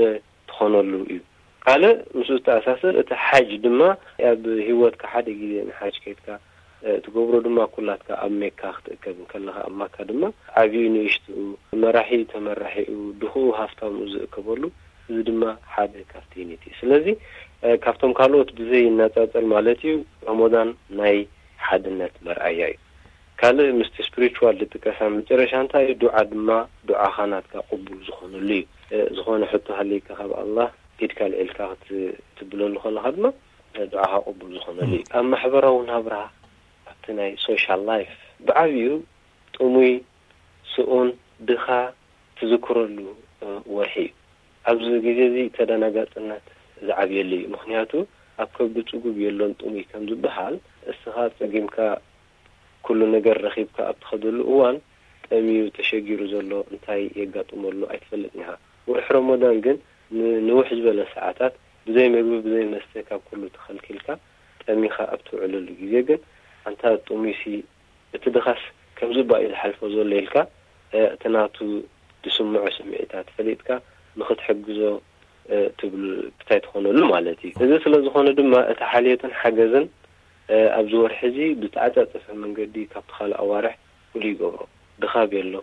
ትኾነሉ እዩ። ካልእ ምስኡ ዝተኣሳሰር እቲ ሓጅ ድማ ኣብ ህይወትካ ሓደ ግዜ ንሓጅ ከይድካ፣ እ፣ ትገብሮ ድማ ኩላትካ ኣብ ሜካ ክትእከብ እንከለኻ ኣብ ማካ ድማ ዓብዩ ንእሽትኡ፣ መራሒ ተመራሒኡ፣ ድኹኡ ሃፍታሙ ዝእከበሉ፣ እዚ ድማ ሓደ ካብቲ ዩኒቲ። ስለዚ፣ እ፣ ካብቶም ካልኦት ብዘይነጻጸል ማለት እዩ፣ ረመዳን ናይ ሓድነት መርኣያ እዩ። ካልእ ምስቲ ስፒሪቹዋል ዝጥቀስ ኣብ መጨረሻ እንታይ እዩ? ዱዓ ድማ ዱዓኻ ናትካ ቅቡል ዝኾነሉ እዩ። እ፣ ዝኾነ ሕቶ ሃልይካ ካብ ኣላህ ኢድካ ኣልዒልካ ክት-፣ ክትብለሉ ከለኻ ድማ፣ እ፣ ዱዓኻ ቅቡል ዝኾነሉ እዩ። ኣብ ማሕበራዊ ናብራ፣ ኣብቲ ናይ ሶሻል ላይፍ ብዓብዩ ጥሙይ፣ ስኡን፣ ድኻ ትዝክረሉ፣ እ፣ ወርሒ እዩ። ኣብዚ ግዜ እዚ ተደናጋጽነት ዝዓብየሉ እዩ። ምኽንያቱ ኣብ ከብዲ ጽጉብ የሎን ጥሙይ ከም ዝበሃል፣ እስኻ ጸጊምካ ኩሉ ነገር ረኺብካ ኣብ ትኸደሉ እዋን፣ ጠምዩ ተሸጊሩ ዘሎ እንታይ የጋጥመሉ ኣይትፈልጥን ኢኻ። ወርሒ ረመዳን ግን ንንውሕ ዝበለ ሰዓታት ብዘይ ምግቢ ብዘይ መስተ ካብ ኩሉ ተኸልኪልካ ጠሚኻ ኣብ ትውዕለሉ ግዜ ግን፣ ኣንታ ጥሙይሲ፣ እቲ ድኻስ ከምዚ እባ እዩ ዝሓልፎ ዘሎ ኢልካ፣ እ፣ እቲ ናቱ ዝስምዖ ስምዒታት ፈሊጥካ ንኽትሕግዞ፣ እ፣ ትብል እንታይ ትኾነሉ ማለት እዩ። እዚ ስለ ዝኾነ ድማ እቲ ሓልዮትን ሓገዝን፣ እ፣ ኣብዚ ወርሒ እዚ ብተዓጻጸፈ መንገዲ ካብቲ ካልእ ኣዋርሕ ፍሉይ ይገብሮ። ድኻ ቤሎ፣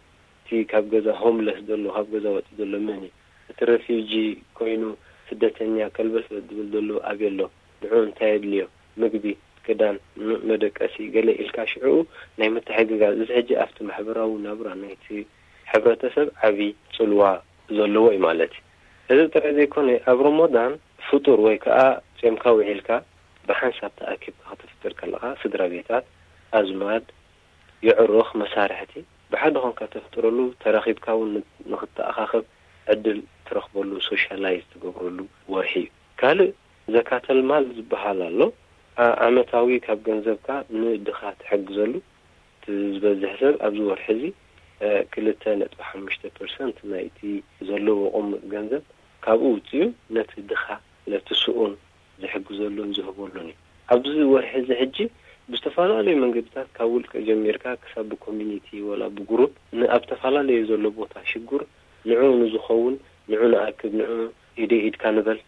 እቲ ካብ ገዛ ሆምለስ ዘሎ፣ ካብ ገዛ ወጺኡ ዘሎ መን እዩ? እቲ ረፊጂ ኮይኑ ስደተኛ ከልበስ ዝብል ዘሎ ኣበይ ኣሎ? ንዕኡ እንታይ የድልዮ? ምግቢ፣ ክዳን፣ ም-፣ መደቀሲ፣ ገለ ኢልካ ሽዕኡ ናይ ምትሕግጋዝ። እዚ ሕጂ ኣብቲ ማሕበራዊ ናብራ ናይቲ ሕብረተሰብ ዓቢ ጽልዋ ዘለዎ እዩ ማለት እዩ። እዚ ጥራይ ዘይኮነ፣ ኣብ ረመዳን ፍጡር ወይ ከኣ ጾምካ ውዒልካ ብሓንሳብ ተኣኪብካ ከተፍጥር ከለኻ፣ ስድራ ቤታት፣ ኣዝማድ፣ የዕሩኽ፣ መሳርሕቲ ብሓደ ኾንካ ተፍጥረሉ፣ ተራኺብካ እውን ን-፣ ንኽትተኣኻኸብ ዕድል ትረኽበሉ፣ ሶሻላይዝ ትገብረሉ ወርሒ እዩ። ካልእ ዘካተል ማል ዝበሃል ኣሎ። ዓ-፣ ዓመታዊ ካብ ገንዘብካ ንድኻ ትሕግዘሉ። እቲ ዝበዝሕ ሰብ ኣብዚ ወርሒ እዚ፣ እ፣ ክልተ ነጥቢ ሓሙሽተ ፐርሰንት ናይቲ ዘለዎ ቁሙጥ ገንዘብ ካብኡ ውፅኡ ነቲ ድኻ፣ ነቲ ስኡን ዝሕግዘሉን ዝህበሉን እዩ። ኣብዚ ወርሒ እዚ ሕጂ ብዝተፈላለዩ መንገድታት ካብ ውልቀ ጀሚርካ ክሳብ ብኮሚኒቲ ወላ ብግሩፕ ን-፣ ኣብ ተፈላለየ ዘሎ ቦታ ሽጉር ንዕኡ ንዝኸውን፣ ንዑ ንኣክብ፣ ንዑ ኢደ ኢድካ ንበል፣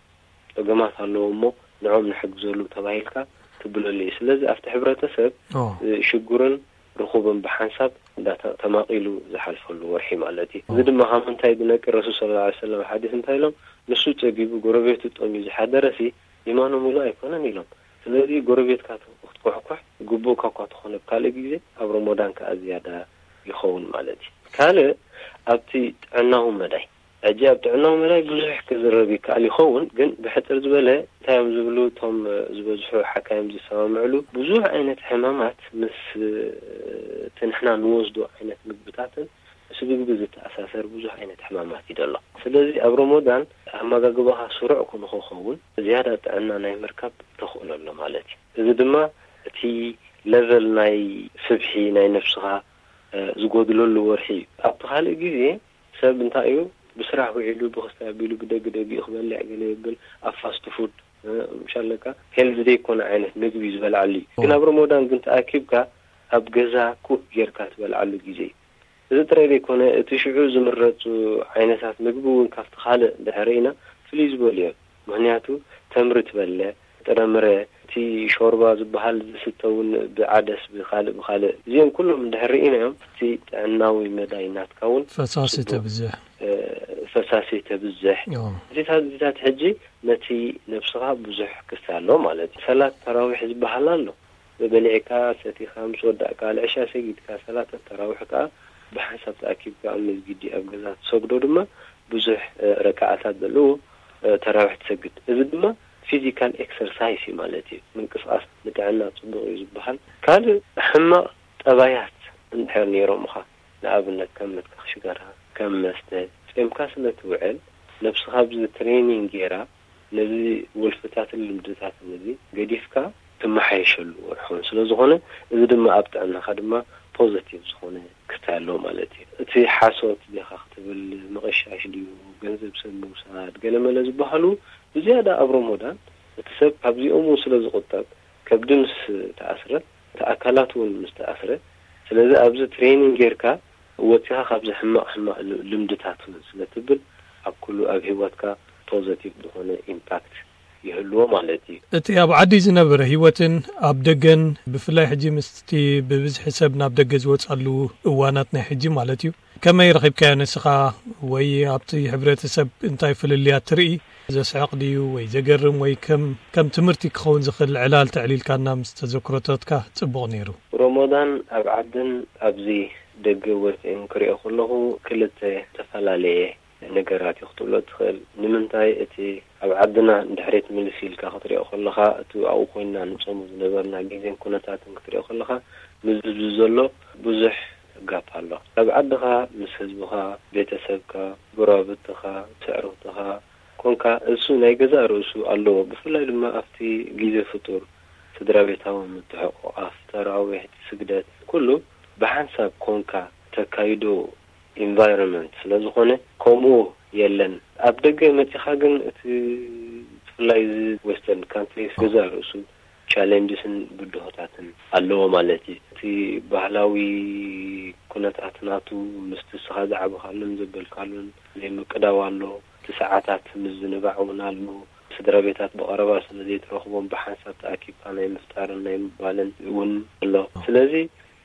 ጸገማት ኣለዎ እሞ ንዖም ንሕግዘሉ ተባሂልካ ትብለሉ እዩ። ስለዚ ኣብቲ ሕብረተሰብ፣ ኦ። እ፣ ሽጉርን ርኹብን ብሓንሳብ እንዳተ-፣ ተማቒሉ ዝሓልፈሉ ወርሒ ማለት እዩ። እዚ ድማ ካብ ምንታይ ዝነቅል? ረሱል ሰለላሁ ዐለይሂ ወሰለም ሓዲስ እንታይ ኢሎም? "ንሱ ጸጊቡ ጎረቤቱ ጠምዩ ዝሓደረሲ ኢማኑ ምሉእ ኣይኮነን" ኢሎም። ስለዚ ጎረቤትካ ክትኮሕኮሕ ግቡእካ እኳ ትኾነ፣ ኣብ ካልእ ግዜ ኣብ ረመዳን ከኣ ዝያዳ ይኸውን ማለት እዩ። ካልእ ኣብቲ ጥዕናዊ መዳይ፣ ሕጂ ኣብ ጥዕናዊ መዳይ ብዙሕ ክዝረብ ይከኣል ይኸውን፣ ግን ብሕጽር ዝበለ እንታይ እዮም ዝብሉ እቶም፣ እ፣ ዝበዝሑ ሓካይም ዝሰማምዕሉ? ብዙሕ ዓይነት ሕማማት ምስ፣ እ፣ እቲ ንሕና ንወስዶ ዓይነት ምግብታትን ምስ ምግቢ ዝተኣሳሰር ብዙሕ ዓይነት ሕማማት እዩ ዘሎ። ስለዚ ኣብ ረመዳን ኣመጋግባኻ ስሩዕ ንኽኸውን ዝያዳ ጥዕና ናይ ምርካብ ተኽእሎ ኣሎ ማለት እዩ። እዚ ድማ እቲ ለቨል ናይ ስብሒ ናይ ነብስኻ፣ እ፣ ዝጎድለሉ ወርሒ እዩ። ኣብቲ ካልእ ግዜ ሰብ እንታይ እዩ ብስራሕ ውዒሉ፣ ብክስታይ ኣቢሉ፣ ብደጊ ደጊኡ ክበልዕ ገለ ይብል፣ ኣብ ፋስት ፉድ፣ እ፣ ምሻለካ ሄልዚ ዘይኮነ ዓይነት ምግቢ ዝበልዓሉ እዩ። ግን ኣብ ረመዳን ግን ተኣኪብካ ኣብ ገዛ ኩክ ጌርካ ትበልዓሉ ግዜ እዩ። እዚ ጥራይ ዘይኮነ፣ እቲ ሽዑ ዝምረጹ ዓይነታት ምግቢ እውን ካብቲ ካልእ እንድሕር ርኢና ፍልይ ዝበሉ እዮም። ምኽንያቱ ተምሪ ትበልዕ፣ ጥረምረ፣ እቲ ሾርባ ዝበሃል ዝስተ እውን ብዓደስ ብኻልእ ብኻልእ፣ እዚኦም ኩሎም እንድሕር ርኢናዮም፣ እቲ ጥዕናዊ መዳይ ናትካ እውን ፈሳሲ ጽቡቕ፣ ተብዝሕ። እ፣ ፈሳሲ ተብዝሕ። ዮ። እዚታት፣ እዚታት ሕጂ ነቲ ነብስኻ ብዙሕ ክስተ ኣሎ ማለት እዩ። ሰላት ተራዊሕ ዝበሃል ኣሎ። በሊዕካ፣ ሰቲኻ፣ ምስ ወዳእካ፣ ልዕሻ ሰጊድካ፣ ሰላት ተራዊሕ ከኣ ብሓንሳብ ተኣኪብካ ኣብ መስጊድ ድዩ ኣብ ገዛ ትሰግዶ ድማ ብዙሕ፣ እ፣ ረክዓታት ዘለዎ፣ እ፣ ተራዊሕ ትሰግድ። እዚ ድማ ፊዚካል ኤክሰርሳይስ እዩ ማለት እዩ። ምንቅስቓስ ንጥዕና ጽቡቕ እዩ ዝበሃል። ካልእ ሕማቕ ጠባያት እንድሕር ነይሮምኻ፣ ንኣብነት ከም ምትካኽ ሽጋራ፣ ከም መስተ፣ ጾምካ ስለ ትውዕል፣ ነብስኻ ኣብዚ ትሬኒንግ ጌራ፣ ነዚ ወልፍታትን ልምድታትን እዚ ገዲፍካ ትመሓየሸሉ ወርሒ እውን ስለ ዝኾነ፣ እዚ ድማ ኣብ ጥዕናኻ ድማ ፖዘቲቭ ዝኾነ ክስታይ ኣለዎ ማለት እዩ። እቲ ሓሶት ዲኻ ክትብል፣ ምቕሻሽ ድዩ፣ ገንዘብ ሰብ ምውሳድ፣ ገለመለ ዝበሃሉ ብዝያዳ ኣብ ረመዳን እቲ ሰብ ካብዚኦም እውን ስለ ዝቑጠብ፣ ከብዲ ምስ ተኣስረ፣ እቲ ኣካላት እውን ምስ ተኣስረ፣ ስለዚ ኣብዚ ትሬኒንግ ጌርካ ወፂኻ ካብዚ ሕማቕ ሕማቕ ል- ልምድታት እውን ስለ ትብል ኣብ ኩሉ ኣብ ህይወትካ ፖዘቲቭ ዝኾነ ኢምፓክት ይህልዎ ማለት እዩ። እቲ ኣብ ዓዲ ዝነበረ ህይወትን ኣብ ደገን፣ ብፍላይ ሕጂ ምስቲ ብብዝሒ ሰብ ናብ ደገ ዝወጻሉ እዋናት ናይ ሕጂ ማለት እዩ፣ ከመይ ረኺብካዮ ንስኻ? ወይ ኣብቲ ሕብረተሰብ እንታይ ፍልልያት ትርኢ? ዘስዕቕ ድዩ ወይ ዘገርም ወይ ከም ከም ትምህርቲ ክኸውን ዝኽእል ዕላል ተዕሊልካና ምስ ተዘክሮታትካ ጽቡቕ ነይሩ። ሮሞዳን ኣብ ዓድን ኣብዚ ደገ ወፂእን ክሪኦ ከለኹ ክልተ ዝተፈላለየ ነገራት እዩ ክትብሎ ትኽእል። ንምንታይ እቲ ኣብ ዓድና ድሕሪት ምልስ ኢልካ ክትሪኦ ከለኻ፣ እቲ ኣብኡ ኮይንና ንጾሙ ዝነበርና ግዜን ኩነታትን ክትሪኦ ከለኻ፣ ምስ ህዝቢ ዘሎ ብዙሕ ጋፕ ኣሎ። ኣብ ዓድኻ ምስ ህዝብኻ፣ ቤተሰብካ፣ ጎረባብትኻ፣ ስዕርኽትኻ ኮንካ፣ እሱ ናይ ገዛእ ርእሱ ኣለዎ። ብፍላይ ድማ ኣብቲ ግዜ ፍጡር ስድራ ቤታዊ ምትሕቑቓፍ፣ ተራዊሕ፣ ስግደት፣ ኩሉ ብሓንሳብ ኮንካ ተካይዶ ኢንቫይሮንመንት ስለ ዝኾነ፣ ከምኡ የለን። ኣብ ደገ መጺኻ ግን እቲ ብፍላይ እዚ ዌስተርን ካንትሪስ ገዛእ ርእሱ ቻሌንጅስን ብድሆታትን ኣለዎ ማለት እዩ። እቲ ባህላዊ ኩነታት ናቱ ምስቲ ንስኻ ዝዓበኻሉን ዘበልካሉን ዘይምቅዳው ኣሎ። እቲ ሰዓታት ምዝንባዕ እውን ኣሎ። ስድራ ቤታት ብቐረባ ስለ ዘይትረኽቦም ብሓንሳብ ተኣኪብካ ናይ ምፍጣርን ናይ ምባልን እውን ኣሎ። ስለዚ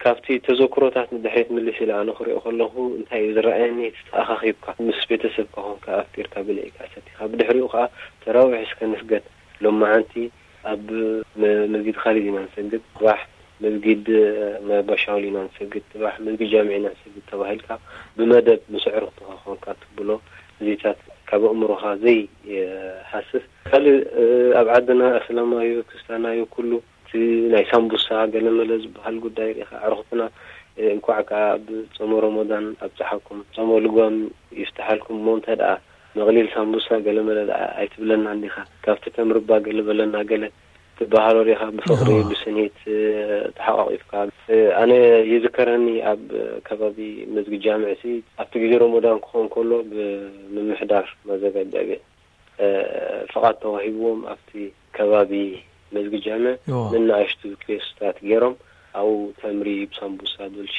ካብቲ ተዘክሮታት ንድሕሪት ምልስ ኢለ ኣነ ክሪኦ ከለኹ እንታይ እዩ ዝረኣየኒ? እቲ ተኣኻኺብካ ምስ ቤተሰብካ ኮንካ ኣፍጢርካ ብልዒካ ሰቲኻ ብድሕሪኡ ከዓ ተራዊሕ እስከ ንስገድ፣ ሎማዓንቲ ኣብ መ- መስጊድ ካሊድ ኢና ንሰግድ፣ ጽባሕ መስጊድ መባሻውል ኢና ንሰግድ፣ ጽባሕ መስጊድ ጃምዕ ኢና ንሰግድ ተባሂልካ ብመደብ ምስ ኣዕሩኽትኻ ኮንካ ትብሎ እዚታት ካብ ኣእምሮኻ ዘይሃስስ። ካልእ ኣብ ዓድና እስላማዩ ክርስትያናዩ ኩሉ እቲ ናይ ሳምቡሳ ገለመለ ዝበሃል ጉዳይ ርኢኻ ኣዕሩኽትና እንኳዕ ከዓ ኣብ ጾመ ሮሞዳን ኣብፀሓኩም ጾመ ልጓም ይፍትሓልኩም እሞ እንተ ደኣ መቕሊል ሳምቡሳ ገለመለ ደኣ ኣይትብለና እንዲኻ፣ ካብቲ ተምሪ እባ ገለ በለና ገለ ትበሃሎ ዲኻ፣ ብፍቕሪ ብስኒት ተሓቋቒፍካ። ኣነ ይዝከረኒ ኣብ ከባቢ መስጊድ ጃምዕሲ ኣብቲ ግዜ ሮሞዳን ክኾን ከሎ ብምምሕዳር ማዘጋጃ ቤት ፍቓድ ተዋሂብዎም ኣብቲ ከባቢ መስጊድ ጃምዕ ንናእሽቱ ኪዮስታት ገይሮም ኣብኡ ተምሪ ብሳምቡሳ ዶልቺ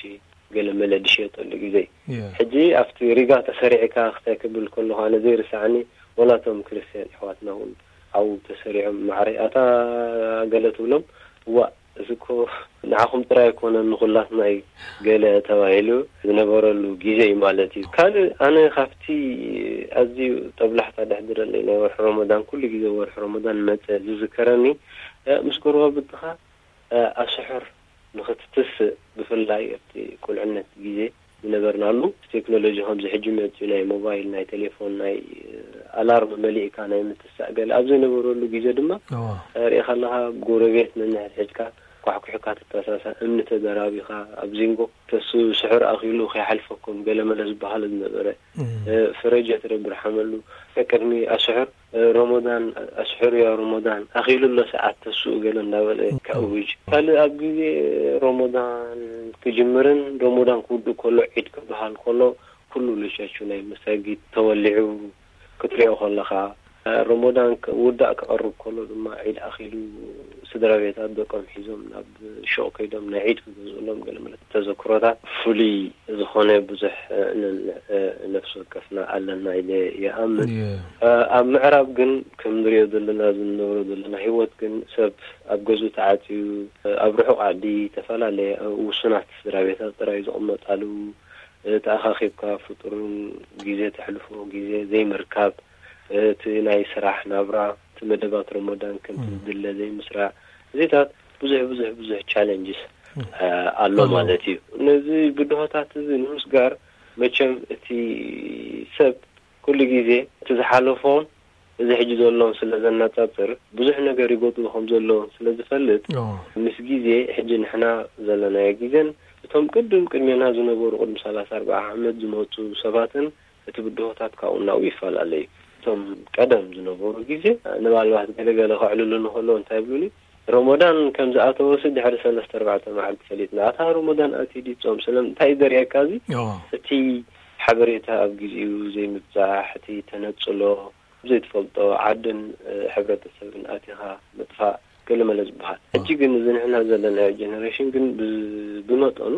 ገለ መለ ዝሸየጠሉ ግዜ እዩ። ሕጂ ኣብቲ ሪጋ ተሰሪዕካ ክታይ ክብል ከለኹ ኣነ ዘይርሳዕኒ ወላቶም ክርስትያን ኣሕዋትና እውን ኣብኡ ተሰሪዖም ማዕረ ኣታ ገለ ትብሎም እዋ እዚ እኮ ንዓኹም ጥራይ ኣይኮነን ንኹላትና እዩ ገለ ተባሂሉ ዝነበረሉ ግዜ እዩ ማለት እዩ። ካልእ ኣነ ካብቲ ኣዝዩ ጠብላሕታ ደሕድረለይ ናይ ወርሒ ሮሞዳን ኩሉ ግዜ ወርሒ ሮሞዳን መጸ ዝዝከረኒ ምስ ጎረባብትኻ ኣስሕር ንኽትትስእ ብፍላይ ኣብቲ ቁልዕነት ግዜ ዝነበርናሉ ቴክኖሎጂ ከምዚ ሕጂ መፅዩ ናይ ሞባይል ናይ ቴሌፎን ናይ ኣላርም መሊእካ ናይ ምትሳእ ገለ ኣብ ዘይነበረሉ ግዜ ድማ ሪኢኻ ኣለኻ ጎረቤት ነንሕድሕድካ ኳሕኩሕካ ትተሳሳ እምኒ ተደራቢኻ ኣብ ዚንጎ ተሱ ስሕር ኣኺሉ ከይሓልፈኩም ገለመለ ዝበሃል ዝነበረ ፍረጀ ትረብርሓመሉ ቅድሚ ኣስሕር ሮሞዳን ኣስሕር ያ ሮሞዳን ኣኺሉ ኣሎ ሰዓት ተስኡ ገለ እንዳበለ ከእውጅ ካልእ ኣብ ግዜ ሮሞዳን ክጅምርን ሮሞዳን ክውድእ ከሎ ዒድ ክበሃል ከሎ ኩሉ ልሸቹ ናይ መሳጊድ ተወሊዑ ክትሪኦ ከለኻ ሮሞዳን ውዳእ ክቐርብ ከሎ ድማ ዒድ ኣኺሉ ስድራ ቤታት ደቆም ሒዞም ናብ ሹቕ ከይዶም ናይ ዒድ ክገዝኡሎም ገለ መለ ተዘክሮታት ፍሉይ ዝኾነ ብዙሕ ነፍሲ ወከፍና ኣለና ኢለ ይኣምን። ኣብ ምዕራብ ግን ከም ንሪኦ ዘለና ዝንነብሮ ዘለና ህይወት ግን ሰብ ኣብ ገዝኡ ተዓፅዩ ኣብ ርሑቕ ዓዲ ዝተፈላለየ ውሱናት ስድራ ቤታት ጥራይ ዝቕመጣሉ ተኣኻኺብካ ፍጡርን ግዜ ተሕልፎ ግዜ ዘይምርካብ እቲ ናይ ስራሕ ናብራ እቲ መደባት ሮሞዳን ከምቲ ዝድለ ዘይምስራዕ እዚታት ብዙሕ ብዙሕ ብዙሕ ቻለንጅስ ኣሎ ማለት እዩ። ነዚ ብድሆታት እዚ ንምስጋር መቸም እቲ ሰብ ኩሉ ግዜ እቲ ዝሓለፎን እዚ ሕጂ ዘሎን ስለ ዘነጻጽር ብዙሕ ነገር ይጎድሉ ከም ዘለውን ስለ ዝፈልጥ ምስ ግዜ ሕጂ ንሕና ዘለናዮ ግዜን እቶም ቅድም ቅድሜና ዝነበሩ ቅድሚ ሰላሳ ኣርባዓ ዓመት ዝመፁ ሰባትን እቲ ብድሆታት ካብኡ ናብኡ ይፈላለ እዩ። እቶም ቀደም ዝነበሩ ግዜ ንባልባት ገለገለ ከዕልሉ ንክእሎ እንታይ ይብሉኒ ሮሞዳን ከም ዝኣተወሲ ድሕሪ ሰለስተ ኣርባዕተ መዓልቲ ፈሊጥና ኣታ ሮሞዳን ኣትዩ ድዩ ጾም ስለምንታይ ዘርእየካ እዚ እቲ ሓበሬታ ኣብ ግዜኡ ዘይምብጻሕ እቲ ተነጽሎ ዘይትፈልጦ ዓድን ሕብረተሰብን ኣቲኻ ምጥፋእ ገለመለ ዝበሃል። ሕጂ ግን እዚ ንሕና ዘለናዮ ጀነሬሽን ግን ብ-፣ ብመጠኑ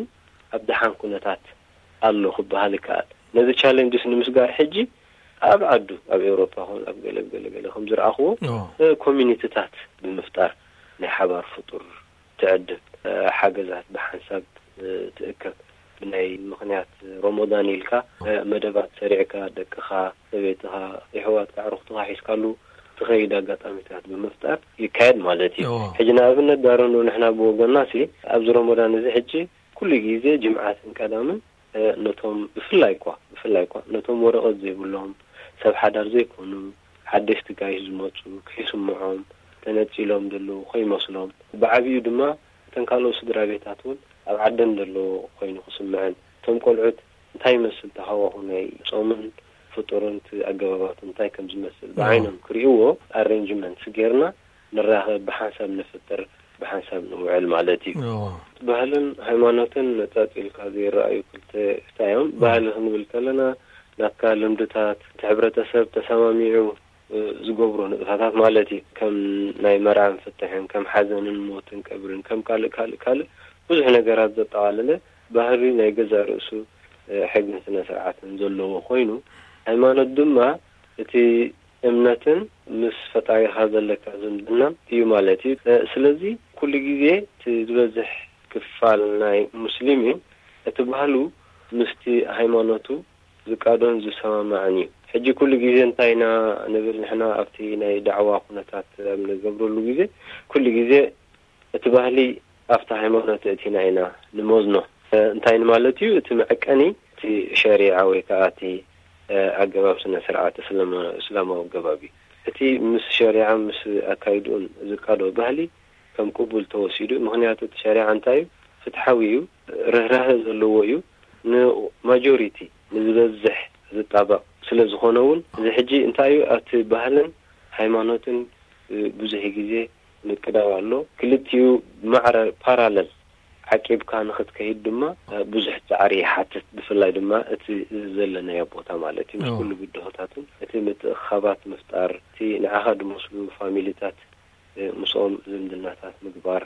ኣብ ደሓን ኩነታት ኣሎ ክበሃል ይከኣል። ነዚ ቻለንጅስ ንምስጋር ሕጂ ኣብ ዓዱ፣ ኣብ ኤውሮፓ ኹን ኣብ ገለ ገለ ገለ ከም ዝረኣኽዎ፣ ኦ። እ፣ ኮሚኒቲታት ብምፍጣር ናይ ሓባር ፍጡር ትዕድም፣ እ፣ ሓገዛት ብሓንሳብ፣ እ፣ ትእከብ። ብናይ ምኽንያት ሮሞዳን ኢልካ፣ እ፣ መደባት ሰሪዕካ ደቅኻ፣ ሰበይትኻ፣ የሕዋትካ፣ ኣዕሩኽትኻ ሒዝካሉ ትኸይድ ኣጋጣሚታት ብምፍጣር ይካየድ ማለት እዩ። ኦ። ሕጂ ንኣብነት ዳረኖ ንሕና ብወገንና ሲ ኣብዚ ሮሞዳን እዚ ሕጂ ኩሉ ግዜ ጅምዓትን ቀዳምን፣ እ፣ ነቶም ብፍላይ እኳ፣ ብፍላይ እኳ ነቶም ወረቐት ዘይብሎም ሰብ ሓዳር ዘይኮኑ ሓደሽቲ ጋይሽ ዝመጹ ከይስምዖም ተነጺሎም ዘለዉ ከይመስሎም፣ ብዓቢኡ ድማ እተን ካልኦት ስድራ ቤታት እውን ኣብ ዓደን ዘለዉ ኮይኑ ክስምዐን፣ እቶም ቆልዑት እንታይ ይመስል እቲ ሃዋሁ ናይ ጾምን ፍጡርን እቲ ኣገባባቱ እንታይ ከም ዝመስል ኦ። ብዓይኖም ክርእይዎ ኣሬንጅመንት ጌርና ንራኸብ፣ ብሓንሳብ ንፍጥር፣ ብሓንሳብ ንውዕል ማለት እዩ። ኦ። ባህልን ሃይማኖትን ነጻጺልካ ዘይረኣዩ ክልተ ፍታ እዮም። ኦ። ባህሊ ክንብል ከለና ናትካ ልምድታት፣ እቲ ሕብረተሰብ ተሰማሚዑ፣ እ፣ ዝገብሮ ንጥፈታት ማለት እዩ። ከም ናይ መርዓ ምፍትሕን፣ ከም ሓዘንን ሞትን ቀብርን፣ ከም ካልእ፣ ካልእ፣ ካልእ ብዙሕ ነገራት ዘጠቓለለ ባህሊ ናይ ገዛእ ርእሱ፣ እ፣ ሕግን ስነ ስርዓትን ዘለዎ ኮይኑ፣ ሃይማኖት ድማ እቲ እምነትን ምስ ፈጣሪኻ ዘለካ ዝምድናን እዩ ማለት እዩ። እ፣ ስለዚ ኩሉ ግዜ እቲ ዝበዝሕ ክፋል ናይ ሙስሊም እዩ፣ እቲ ባህሉ ምስቲ ሃይማኖቱ ዝቃዶን ዝሰማማዕን እዩ። ሕጂ ኩሉ ግዜ እንታይ ኢና ንብል ንሕና ኣብቲ ናይ ዳዕዋ ኩነታት ኣብ ንገብረሉ ግዜ፣ ኩሉ ግዜ እቲ ባህሊ ኣብቲ ሃይማኖት እቲና ኢና ንመዝኖ። እ፣ እንታይ ማለት እዩ? እቲ መዐቀኒ እቲ ሸሪዓ ወይ ከዓ እቲ፣ እ፣ ኣገባብ ስነ ስርዓት እስላማ-፣ እስላማዊ ኣገባብ እዩ። እቲ ምስ ሸሪዓ ምስ ኣካይድኡን ዝቃዶ ባህሊ ከም ቅቡል ተወሲዱ። ምኽንያቱ እቲ ሸሪዓ እንታይ እዩ? ፍትሓዊ እዩ፣ ርህራሀ ዘለዎ እዩ፣ ንማጆሪቲ ንዝበዝሕ ዝጣበቕ ስለ ዝኾነ እውን እዚ ሕጂ እንታይ እዩ ኣብቲ ባህልን ሃይማኖትን፣ እ፣ ብዙሕ ግዜ ምቅዳው ኣሎ። ክልቲኡ ማዕረ ፓራለል ዓቂብካ ንኽትከይድ ድማ፣ እ፣ ብዙሕ ጻዕሪ ይሓትት። ብፍላይ ድማ እቲ ዘለናዮ ቦታ ማለት እዩ። ምስ ኦ። ኩሉ ብድሆታቱን እቲ ምትእኻባት ምፍጣር፣ እቲ ንዓኻ ዝመስሉ ፋሚሊታት፣ እ፣ ምስኦም ዝምድናታት ምግባር፣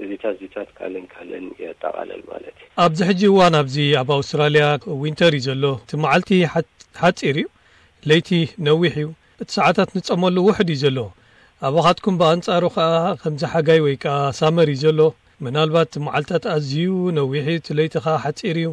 እዚታት፣ እዚታት ካልእን ካልእን የጠቓልል ማለት እዩ። ኣብዚ ሕጂ እዋን ኣብዚ ኣብ ኣውስትራልያ ዊንተር እዩ ዘሎ። እቲ መዓልቲ ሓ-፣ ሓጺር እዩ፣ ለይቲ ነዊሕ እዩ። እቲ ሰዓታት ንጸመሉ ውሑድ እዩ ዘሎ። ኣባኻትኩም ብኣንጻሩ ኸኣ ከምዚ ሓጋይ ወይ ከኣ ሳመር እዩ ዘሎ። ምናልባት እቲ መዓልታት ኣዝዩ ነዊሕ እዩ፣ እቲ ለይቲ ኸኣ ሓጺር እዩ።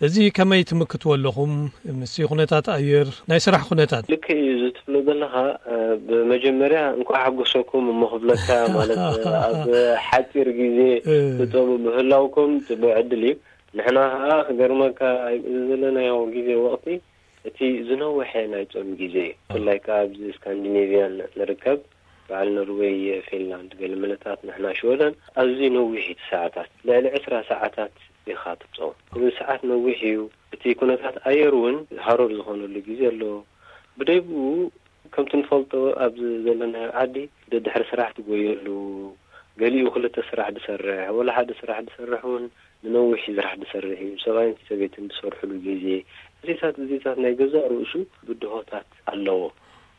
እዚ ከመይ ትምክትዎ ኣለኹም? ምስቲ ኩነታት ኣየር፣ ናይ ስራሕ ኩነታት? ልክዕ እዩ፣ እዚ ትብሎ ዘለኻ፣ እ፣ ብመጀመርያ እንኳዕ ሓጎሰኩም እሞ ክብለካ፣ ማለት፣ እ፣ ኣብ ሓጺር ግዜ እ። ትጾሙ ምህላውኩም ጽቡቕ ዕድል እዩ። ንሕና ኸኣ ክገርመካ፣ ኣብዚ ዘለናዮ ግዜ ወቕቲ እቲ ዝነውሐ ናይ ጾም ግዜ እዩ። ብፍላይ ከኣ ኣብዚ ስካንዲኔቭያን ንርከብ፣ በዓል ኖርዌይ፣ ፊንላንድ፣ ገለ መለታት፣ ንሕና ሽወደን፣ ኣዝዩ ነዊሕ እዩ እቲ ሰዓታት። ልዕሊ ዕስራ ሰዓታት ኢኻ ትጾም። እዚ ሰዓት ነዊሕ እዩ። እቲ ኩነታት ኣየር እውን ሃሩር ዝኾነሉ ግዜ ኣሎ። ብደይ ብኡ ከምቲ ንፈልጦ ኣብዚ ዘለናዮ ዓዲ ደድሕሪ ስራሕ ትጎየሉ፣ ገሊኡ ክልተ ስራሕ ዝሰርሕ፣ ወላ ሓደ ስራሕ ዝሰርሕ እውን ንነዊሕ ስራሕ ዝሰርሕ እዩ። ሰብኣይን ሰበይትን ዝሰርሕሉ ግዜ፣ እዚታት፣ እዚታት ናይ ገዛእ ርእሱ ብድሆታት ኣለዎ።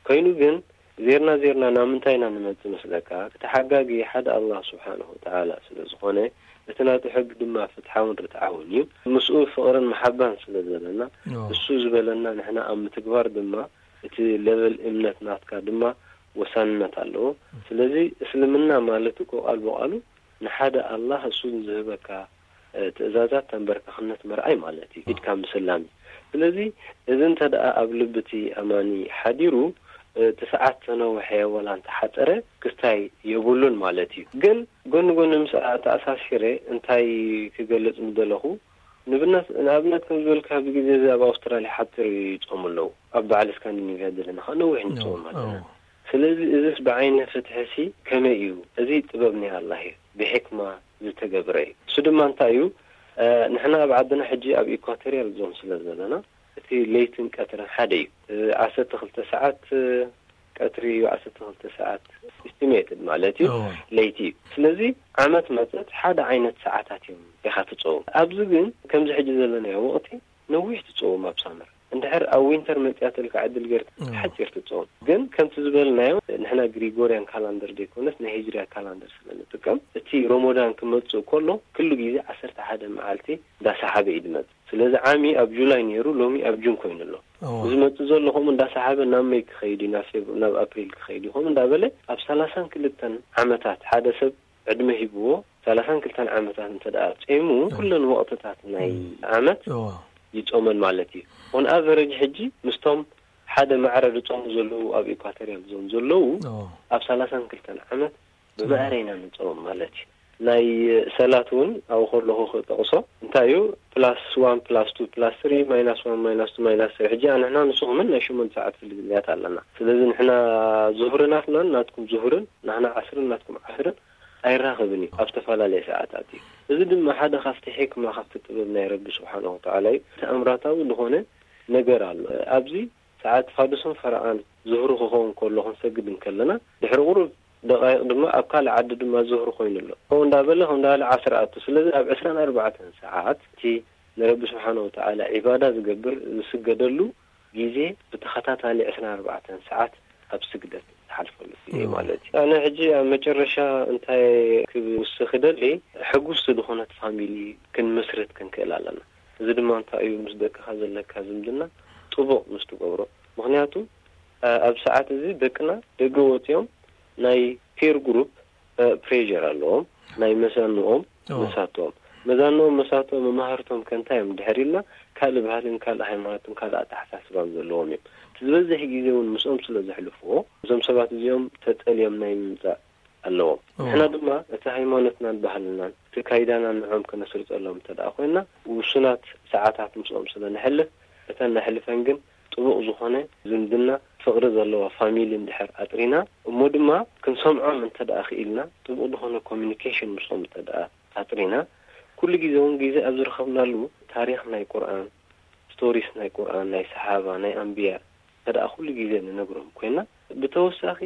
ኮይኑ ግን ዜርና ዜርና ናብ ምንታይ ኢና ንመጽእ መስለካ? እቲ ሓጋጊ ሓደ ኣላህ ስብሓንሁ ወተዓላ ስለ ዝኾነ፣ እቲ ናቱ ሕጊ ድማ ፍትሓውን ርትዓውን እዩ። ምስኡ ፍቕርን መሓባን ስለ ዘለና፣ ኦ። እሱ ዝበለና ንሕና ኣብ ምትግባር ድማ እቲ ለቨል እምነት ናትካ ድማ ወሳንነት ኣለዎ። ስለዚ እስልምና ማለት እኮ ቃል ብቃሉ ንሓደ ኣላህ እሱ ንዝህበካ፣ እ፣ ትእዛዛት ተንበርከኽነት ምርኣይ ማለት እዩ። ኢድካ ምስላም እዩ። ስለዚ እዚ እንተ ደኣ ኣብ ልቢ እቲ ኣማኒ ሓዲሩ፣ እ፣ እቲ ሰዓት ተነውሐ ወላ እንተሓጸረ ክስታይ የብሉን ማለት እዩ። ግን ጎኒ ጎኒ ምስ ተኣሳሲረ እንታይ ክገልጽ ምደለኹ፣ ንብነት-፣ ንኣብነት ከም ዝበልካ ኣብዚ ግዜ እዚ ኣብ ኣውስትራልያ ሓጺር ይጾሙ ኣለዉ። ኣብ በዓል ስካንዲኔቭያ ዘለና ኸኣ ነዊሕ ንጾም ኣለና። ኦ። ስለዚ እዚስ ብዓይነ ፍትሕሲ ከመይ እዩ? እዚ ጥበብ ናይ ኣላህ እዩ፣ ብሕክማ ዝተገብረ እዩ። እሱ ድማ እንታይ እዩ? እ፣ ንሕና ኣብ ዓድና ሕጂ ኣብ ኢኳቶርያል ዞን ስለ ዘለና፣ እቲ ለይትን ቀትርን ሓደ እዩ። እ፣ ዓሰርተ ክልተ ሰዓት፣ እ፣ ቀትሪ እዩ፣ ዓሰርተ ክልተ ሰዓት ኢስቲሜትድ ማለት እዩ፣ እወ። ለይቲ እዩ። ስለዚ ዓመት መጸት ሓደ ዓይነት ሰዓታት እዮም ኢኻ ትጸውም። ኣብዚ ግን ከምዚ ሕጂ ዘለናዮ ወቕቲ ነዊሕ ትጸውም ኣብ ሳመር። እንድሕር ኣብ ዊንተር መጽያትልካ ዕድል ጌርካ ሓጺር ትጸውም። ግን ከምቲ ዝበልናዮ ንሕና ግሪጎርያን ካላንደር ዘይኮነስ ናይ ሂጅርያ ካላንደር ስለ ንጥቀም፣ እቲ ሮሞዳን ክመጽእ ከሎ ኩሉ ግዜ ዓሰርተ ሓደ መዓልቲ እንዳሰሓበ እዩ ዝመጽእ። ስለዚ ዓሚ ኣብ ጁላይ ነይሩ፣ ሎሚ ኣብ ጁን ኮይኑ ኣሎ። እዚ መጽእ ዘሎ ከምኡ እንዳሰሓበ ናብ መይ ክኸይድ እዩ፣ ናብ ፌብ-፣ ናብ ኣፕሪል ክኸይድ እዩ ከምኡ እንዳበለ ኣብ ሰላሳን ክልተን ዓመታት ሓደ ሰብ ዕድመ ሂብዎ ሰላሳን ክልተን ዓመታት እንተ ደኣ ጾይሙ፣ ኩለን ወቕትታት ናይ ዓመት ይጾመን ማለት እዩ። On average ሕጂ ምስቶም ሓደ ማዕረ ዝጾሙ ዘለዉ ኣብ ኢኳቶርያል ዞን ዘለዉ ኣብ ሰላሳን ክልተን ዓመት ብማዕረ ኢና ንጾም ማለት እዩ። ናይ ሰላት እውን ኣብኡ ከለኹ ክጠቕሶ እንታይ እዩ፣ ፕላስ ዋን ፕላስ ቱ ፕላስ ስሪ ማይናስ ዋን ማይናስ ቱ ማይናስ ስሪ። ሕጂ ንሕና ንስኹምን ናይ ሸሞንተ ሰዓት ፍልልያት ኣለና። ስለዚ ንሕና ዙህሪ ናትናን ናትኩም ዙህርን፣ ንሕና ዓስርን ናትኩም ዓስርን ኣይራኸብን እዩ፣ ኣብ ዝተፈላለየ ሰዓታት እዩ። እዚ ድማ ሓደ ካብቲ ሕክማ፣ ካብቲ ጥበብ ናይ ረቢ ስብሓንሁ ወተዓላ እዩ። ተኣምራታዊ ዝኾነ ነገር ኣሎ ኣብዚ። ሰዓት ፋዱስን ፈረቓን ዙህሪ ክኸውን ከሎ ክንሰግድ እንከለና፣ ድሕሪ ቁሩብ ደቓይቕ ድማ ኣብ ካልእ ዓዲ ድማ ዙህሪ ኮይኑ ኣሎ። ከምኡ እንዳበለ ከምኡ እንዳበለ ዓስር ኣቱ። ስለዚ ኣብ ዕስራን ኣርባዕተን ሰዓት እቲ ንረቢ ስብሓነ ወተዓላ ዒባዳ ዝገብር ዝስገደሉ ግዜ ብተኸታታሊ ዕስራን ኣርባዕተን ሰዓት ኣብ ስግደት ዝሓልፈሉ ግዜ ማለት እዩ። ኣነ ሕጂ ኣብ መጨረሻ እንታይ ክውስኽ ይደሊ፣ ሕጉስቲ ዝኾነት ፋሚሊ ክንምስርት ክንክእል ኣለና። እዚ ድማ እንታይ እዩ፣ ምስ ደቅኻ ዘለካ ዝምድና ጥቡቕ ምስ ትገብሮ። ምኽንያቱ፣ ኣ-፣ ኣብ ሰዓት እዚ ደቅና ደገ ወጺኦም ናይ ፒር ግሩፕ፣ እ፣ ፕሬዠር ኣለዎም፣ ናይ መዛንኦም መሳቶም። መዛንኦም መሳቶም መማህርቶም ከ እንታይ እዮም ድሕር ኢልና፣ ካልእ ባህልን ካልእ ሃይማኖትን ካልእ ኣተሓሳስባን ዘለዎም እዮም። እቲ ዝበዝሕ ግዜ እውን ምስኦም ስለ ዘሕልፍዎ፣ እዞም ሰባት እዚኦም ተጠልዮም ናይ ምምጻእ ኣለዎም። ንሕና ድማ እቲ ሃይማኖትናን ባህልናን እቲ ካይዳናን ንዖም ከነስርጸሎም እንተ ደኣ ኮይንና፣ ውሱናት ሰዓታት ምስኦም ስለ ነሕልፍ፣ እተን ነሕልፈን ግን ጥቡቕ ዝኾነ ዝምድና፣ ፍቕሪ ዘለዋ ፋሚሊ እንድሕር ኣጥሪና፣ እሞ ድማ ክንሰምዖም እንተ ደኣ ክኢልና፣ ጥቡቕ ዝኾነ ኮሚኒኬሽን ምስኦም እንተ ደኣ ኣጥሪና፣ ኩሉ ግዜ እውን ግዜ ኣብ ዝረኸብናሉ ታሪኽ ናይ ቁርኣን፣ ስቶሪስ ናይ ቁርኣን፣ ናይ ሰሓባ፣ ናይ ኣንብያ እንተ ደኣ ኩሉ ግዜ ንነግሮም ኮይና፣ ብተወሳኺ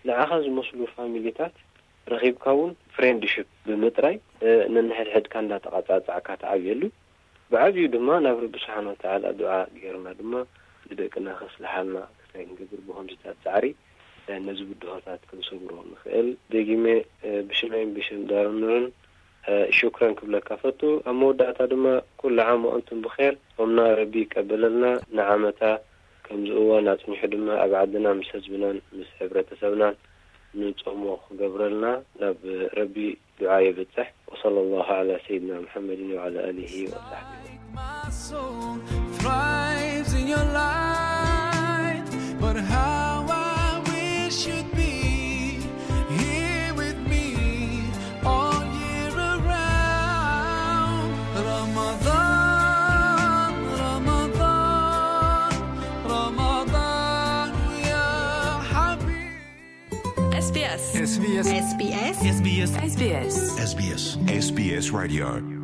ንዓኻ ዝመስሉ ፋሚሊታት ረኺብካ እውን ፍሬንድሽፕ ብምጥራይ፣ እ፣ ነንሕድሕድካ እንዳተቐጻጻዕካ ትዓብየሉ። ብዓብዩ ድማ ናብ ረቢ ስብሓነ ወተዓላ ዱዓ ጌርና ድማ ንደቅና ከስልሓልና እንታይ ክንገብር ብኸምዚታት ጻዕሪ፣ እ፣ ነዚ ብድሆታት ክንሰግሮ ንኽእል። ደጊመ፣ እ፣ ብሽመይን ብሽም ዳርኑርን፣ እ፣ ሹክረን ክብለካ ፈቱ። ኣብ መወዳእታ ድማ ኩሉ ዓም ወኣንቱም ብኼር፣ ጾምና ረቢ ይቀበለልና፣ ንዓመታ ከምዚ እዋን ኣጽኒሑ ድማ ኣብ ዓድና ምስ ህዝብናን ምስ ሕብረተሰብናን ንጾሞ ክገብረልና ናብ ረቢ ዱዓ የብጽሕ። ወሰለ ላሁ ዐላ ሰይድና ሙሐመድን ወዐላ ኣሊሂ ወሰሕቢሂ። My soul thrives in your light, but how I wish you'd be here with me all year around. Ramadan, Ramadan, Ramadan, ya Habib. S B S. S B S. S B S. S B S. S B S. S B S. S B S Radio.